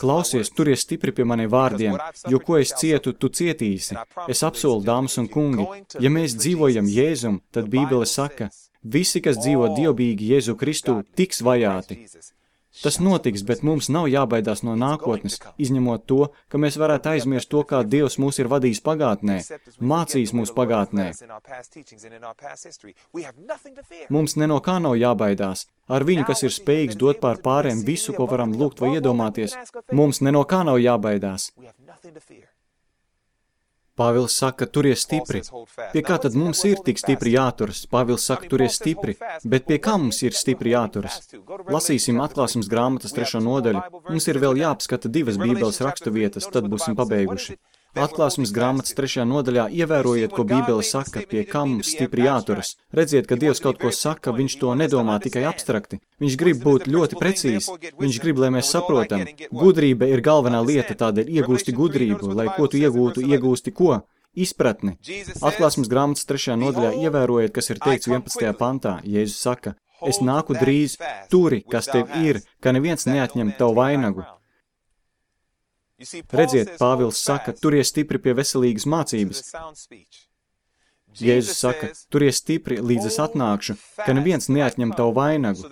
klausies, turies stipri pie maniem vārdiem, jo ko es cietu, tu cietīsi. Es apsolu, dāmas un kungi, ja mēs dzīvojam Jēzum, tad Bībele saka, visi, kas dzīvo dievbijīgi Jēzu Kristu, tiks vajāti. Tas notiks, bet mums nav jābaidās no nākotnes, izņemot to, ka mēs varētu aizmirst to, kā Dievs mūs ir vadījis pagātnē, mācījis mūs pagātnē. Mums ne no kā nav jābaidās. Ar viņu, kas ir spējīgs dot pār pāriem visu, ko varam lūgt vai iedomāties, mums ne no kā nav jābaidās. Pāvils saka, turies stipri. Pie kā tad mums ir tik stipri jāturas? Pāvils saka, turies stipri. Bet pie kā mums ir stipri jāturas? Lasīsim Atklāsmes grāmatas 3. nodaļu. Mums ir vēl jāapskata 2 Bībeles raksturvietas, tad būsim pabeiguši. Atklāsmes grāmatas 3. nodaļā ievērojiet, ko Bībele saka, pie kā mums stipri jāturas. Redziet, ka Dievs kaut ko saka, viņš to nedomā tikai abstrakti. Viņš grib būt ļoti precīzi. Viņš grib, lai mēs saprotam. Gudrība ir galvenā lieta, tādēļ iegūsti gudrību, lai ko tu iegūtu, iegūsti ko? Izpratni. Atklāsmes grāmatas 3. nodaļā ievērojiet, kas ir teikts 11. pantā. Jēzus saka, es nāku drīz, turi, kas tev ir, ka neviens neatņem tavu vainagu. Redziet, Pāvils saka, turies stipri pie veselīgas mācības. Jēzus saka, turies stipri, līdz es atnākšu, ka neviens neatņem tavu vainagu.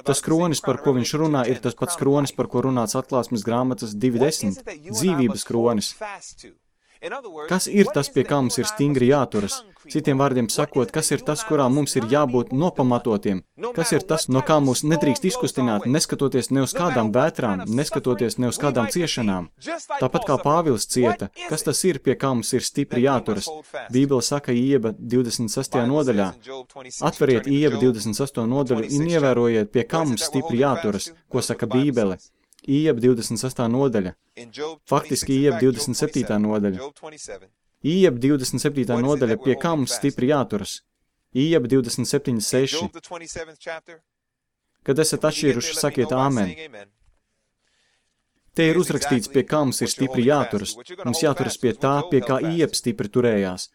Tas kronis, par ko viņš runā, ir tas pats kronis, par ko runāts Atklāsmes grāmatas 2.10, dzīvības kronis. Kas ir tas, pie kā mums ir stingri jāturas? Citiem vārdiem sakot, kas ir tas, kurā mums ir jābūt nopamatotiem? Kas ir tas, no kā mūs nedrīkst izkustināt, neskatoties ne uz kādām vētrām, neskatoties ne uz kādām ciešanām? Tāpat kā Pāvils cieta, kas tas ir, pie kā mums ir stipri jāturas? Bībele saka Ieba 26. nodaļā. Atveriet Ieba 28. nodaļu un ievērojiet, pie kā mums stipri jāturas, ko saka Bībele. Ieba 26. nodaļa. Faktiski Ieba 27. nodaļa. Ieba 27. nodaļa, pie kā mums stipri jāturas. Ieba 27.6. Kad esat atšķīruši, sakiet āmen. Te ir uzrakstīts, pie kā mums ir stipri jāturas. Mums jāturas pie tā, pie kā Ieba stipri turējās.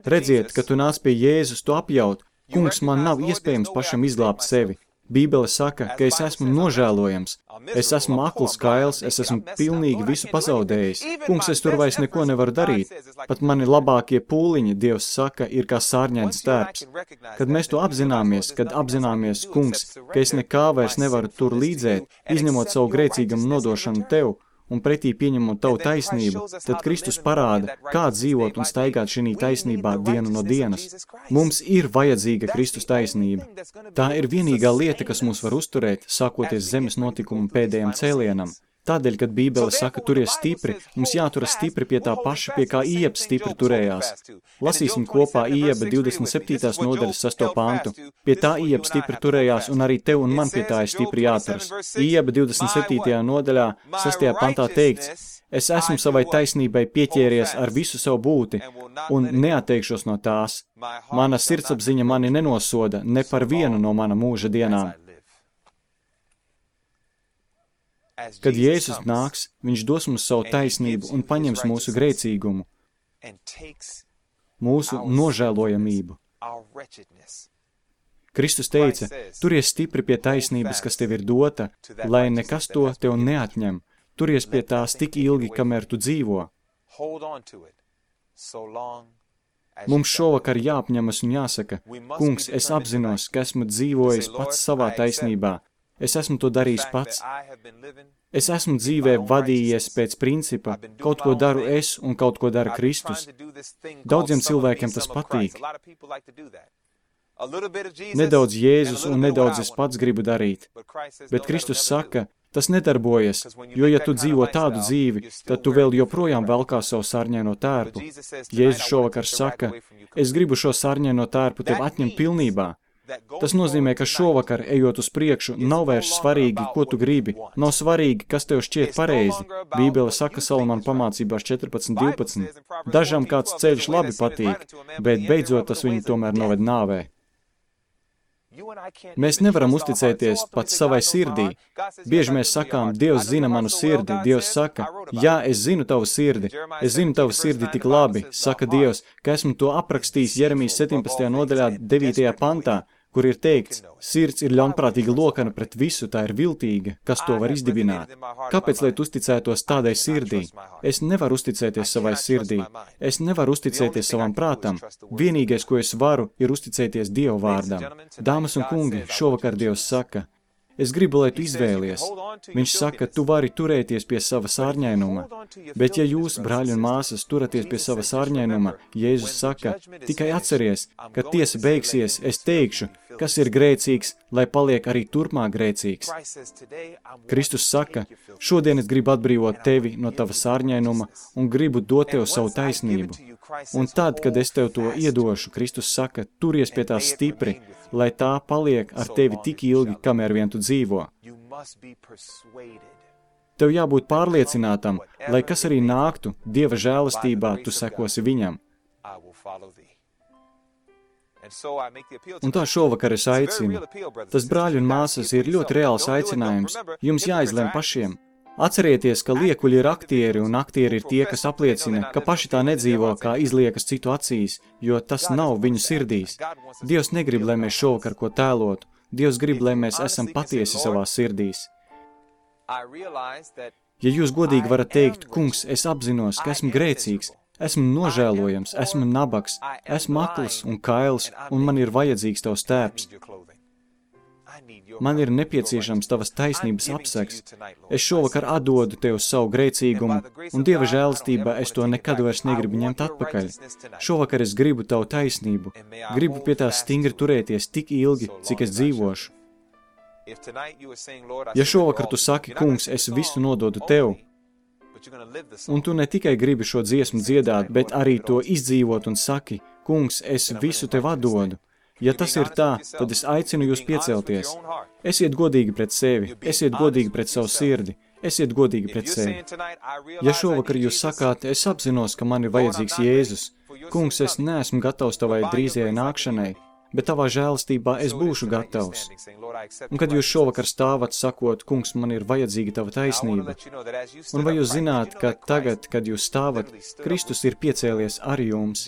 Redziet, kad tu nāc pie Jēzus, tu apjaut, kungs, man nav iespējams pašam izglābt sevi. Bībele saka, ka es esmu nožēlojams, es esmu akls kails, es esmu pilnīgi visu pazaudējis. Kungs, es tur vairs neko nevaru darīt. Pat mani labākie pūliņi, Dievs saka, ir kā sārņains stērps. Kad mēs to apzināmies, kungs, ka es nekā vairs nevaru tur līdzēt, izņemot savu grēcīgam nodošanu tev, un pretī pieņemot tavu taisnību, tad Kristus parāda, kā dzīvot un staigāt šī taisnībā dienu no dienas. Mums ir vajadzīga Kristus taisnība. Tā ir vienīgā lieta, kas mūs var uzturēt, sākoties zemes notikumu pēdējiem cēlienam. Tādēļ, kad Bībele saka, turies stipri, mums jāturas stipri pie tā paša, pie kā Ieba stipri turējās. Lasīsim kopā Ieba 27. nodaļas 6. pantu. Pie tā Ieba stipri turējās, un arī tev un man pie tā ir stipri jāturas. Ieba 27. nodaļā 6. pantā teikts, es esmu savai taisnībai pieķēries ar visu savu būti, un neatteikšos no tās. Mana sirdsapziņa mani nenosoda ne par vienu no mana mūža dienām. Kad Jēzus nāks, viņš dos mums savu taisnību un paņems mūsu grēcīgumu, mūsu nožēlojamību. Kristus teica, turies stipri pie taisnības, kas tev ir dota, lai nekas to tev neatņem. Turies pie tās tik ilgi, kamēr tu dzīvo. Mums šovakar jāapņemas un jāsaka, kungs, es apzinos, ka esmu dzīvojis pats savā taisnībā. Es esmu to darījis pats. Es esmu dzīvē vadījies pēc principa, kaut ko daru es un kaut ko dara Kristus. Daudziem cilvēkiem tas patīk. Nedaudz Jēzus un nedaudz es pats gribu darīt. Bet Kristus saka, tas nedarbojas, jo ja tu dzīvo tādu dzīvi, tad tu vēl joprojām velkā savu sarņaino tērpu. Jēzus šovakar saka, es gribu šo sarņaino tērpu tev atņemt pilnībā. Tas nozīmē, ka šovakar, ejot uz priekšu, nav vairs svarīgi, ko tu gribi, nav svarīgi, kas tev šķiet pareizi. Bībele saka Salamana pamācībās 14.12. Dažam kāds ceļš labi patīk, bet beidzot tas viņu tomēr noved nāvē. Mēs nevaram uzticēties pat savai sirdī. Bieži mēs sakām, Dievs zina manu sirdi. Dievs saka, jā, es zinu tavu sirdi. Es zinu tavu sirdi tik labi, saka Dievs, ka esmu to aprakstījis Jeremijas 17. nodaļā 9. pantā, kur ir teikts, sirds ir ļaunprātīga lokana pret visu, tā ir viltīga, kas to var izdibināt. Kāpēc, lai tu uzticētos tādai sirdī? Es nevaru uzticēties savai sirdī. Es nevaru uzticēties savam prātam. Vienīgais, ko es varu, ir uzticēties Dieva vārdam. Dāmas un kungi, šovakar Dievs saka, es gribu, lai tu izvēlies. Viņš saka, tu vari turēties pie sava sārņainuma. Bet ja jūs, brāļi un māsas, turaties pie sava sārņainuma, Jēzus saka, tikai atceries, kad tiesa beigsies, es teikšu, kas ir grēcīgs, lai paliek arī turpmāk grēcīgs. Kristus saka, šodien es gribu atbrīvot tevi no tava sārņainuma un gribu dot tev savu taisnību. Un tad, kad es tev to iedošu, Kristus saka, turies pie tās stipri, lai tā paliek ar tevi tik ilgi, kamēr vien tu dzīvo. Tev jābūt pārliecinātam, lai kas arī nāktu, Dieva žēlastībā tu sekosi viņam. Un tā šovakar es aicinu. Tas, brāļi un māsas, ir ļoti reāls aicinājums. Jums jāizlem pašiem. Atcerieties, ka liekuļi ir aktieri, un aktieri ir tie, kas apliecina, ka paši tā nedzīvo, kā izliekas citu acīs, jo tas nav viņu sirdīs. Dievs negrib, lai mēs šovakar ko tēlotu. Dievs grib, lai mēs esam patiesi savās sirdīs. Ja jūs godīgi varat teikt, kungs, es apzinos, ka esmu grēcīgs, esmu nožēlojams, esmu nabaks, esmu akls un kails, un man ir vajadzīgs tavs tērps. Man ir nepieciešams tavas taisnības apsegs. Es šovakar atdodu tev savu grēcīgumu, un Dieva žēlastībā es to nekad vairs negribu ņemt atpakaļ. Šovakar es gribu tavu taisnību, gribu pie tās stingri turēties tik ilgi, cik es dzīvošu. Ja šovakar tu saki, kungs, es visu nododu tev, un tu ne tikai gribi šo dziesmu dziedāt, bet arī to izdzīvot un saki, kungs, es visu tev atdodu. Ja tas ir tā, tad es aicinu jūs piecelties. Esiet godīgi pret sevi, esiet godīgi pret savu sirdi, esiet godīgi pret sevi. Ja šovakar jūs sakāt, es apzinos, ka man ir vajadzīgs Jēzus, kungs, es neesmu gatavs tavai drīzajai nākšanai, bet tavā žēlastībā es būšu gatavs. Un kad jūs šovakar stāvat, sakot, kungs, man ir vajadzīga tava taisnība, un vai jūs zināt, ka tagad, kad jūs stāvat, Kristus ir piecēlies ar jums.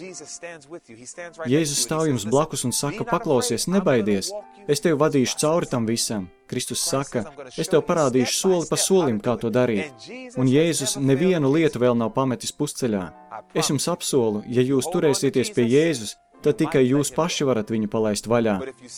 Jēzus stāv jums blakus un saka, paklausies, nebaidies, es tevi vadīšu cauri tam visam. Kristus saka, es tev parādīšu soli pa solim, kā to darīt. Un Jēzus nevienu lietu vēl nav pametis pusceļā. Es jums apsolu, ja jūs turēsieties pie Jēzus, tad tikai jūs paši varat viņu palaist vaļā.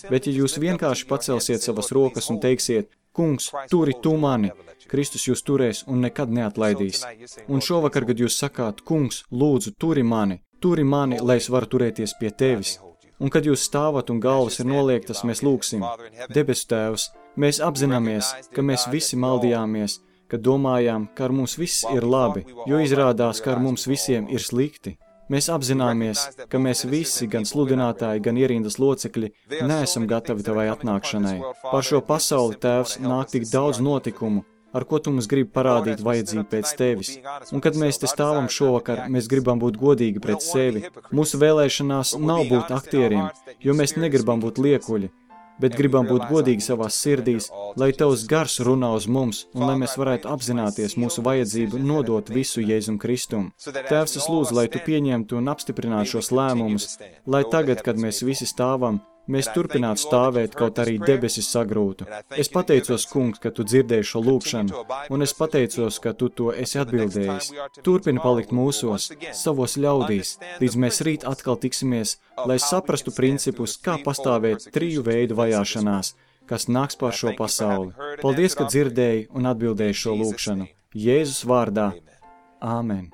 Bet ja jūs vienkārši pacelsiet savas rokas un teiksiet, kungs, turi tu mani, Kristus jūs turēs un nekad neatlaidīs. Un šovakar, kad jūs sakāt, kungs, lūdzu, turi mani, lai es varu turēties pie tevis. Un kad jūs stāvat un galvas ir noliektas, mēs lūksim. Debesu Tēvs, mēs apzināmies, ka mēs visi maldījāmies, ka domājām, ka ar mums viss ir labi, jo izrādās, ka ar mums visiem ir slikti. Mēs apzināmies, ka mēs visi, gan sludinātāji, gan ierindas locekļi, neesam gatavi tavai atnākšanai. Par šo pasauli, Tēvs, nāk tik daudz notikumu, ar ko tu mums gribi parādīt vajadzību pēc tevis. Un kad mēs te stāvam šovakar, mēs gribam būt godīgi pret sevi. Mūsu vēlēšanās nav būt aktieriem, jo mēs negribam būt liekuļi, bet gribam būt godīgi savās sirdīs, lai tavs gars runā uz mums un lai mēs varētu apzināties mūsu vajadzību nodot visu Jēzum Kristum. Tēvs, es lūdzu, lai tu pieņemtu un apstiprinātu šos lēmumus, lai tagad, kad mēs visi stāvam, mēs turpinātu stāvēt, kaut arī debesis sagrūtu. Es pateicos, kungs, ka tu dzirdēji šo lūkšanu, un es pateicos, ka tu to esi atbildējis. Turpini palikt mūsos, savos ļaudīs, līdz mēs rīt atkal tiksimies, lai saprastu principus, kā pastāvēt triju veidu vajāšanās, kas nāks pār šo pasauli. Paldies, ka dzirdēji un atbildēji šo lūkšanu. Jēzus vārdā. Āmen.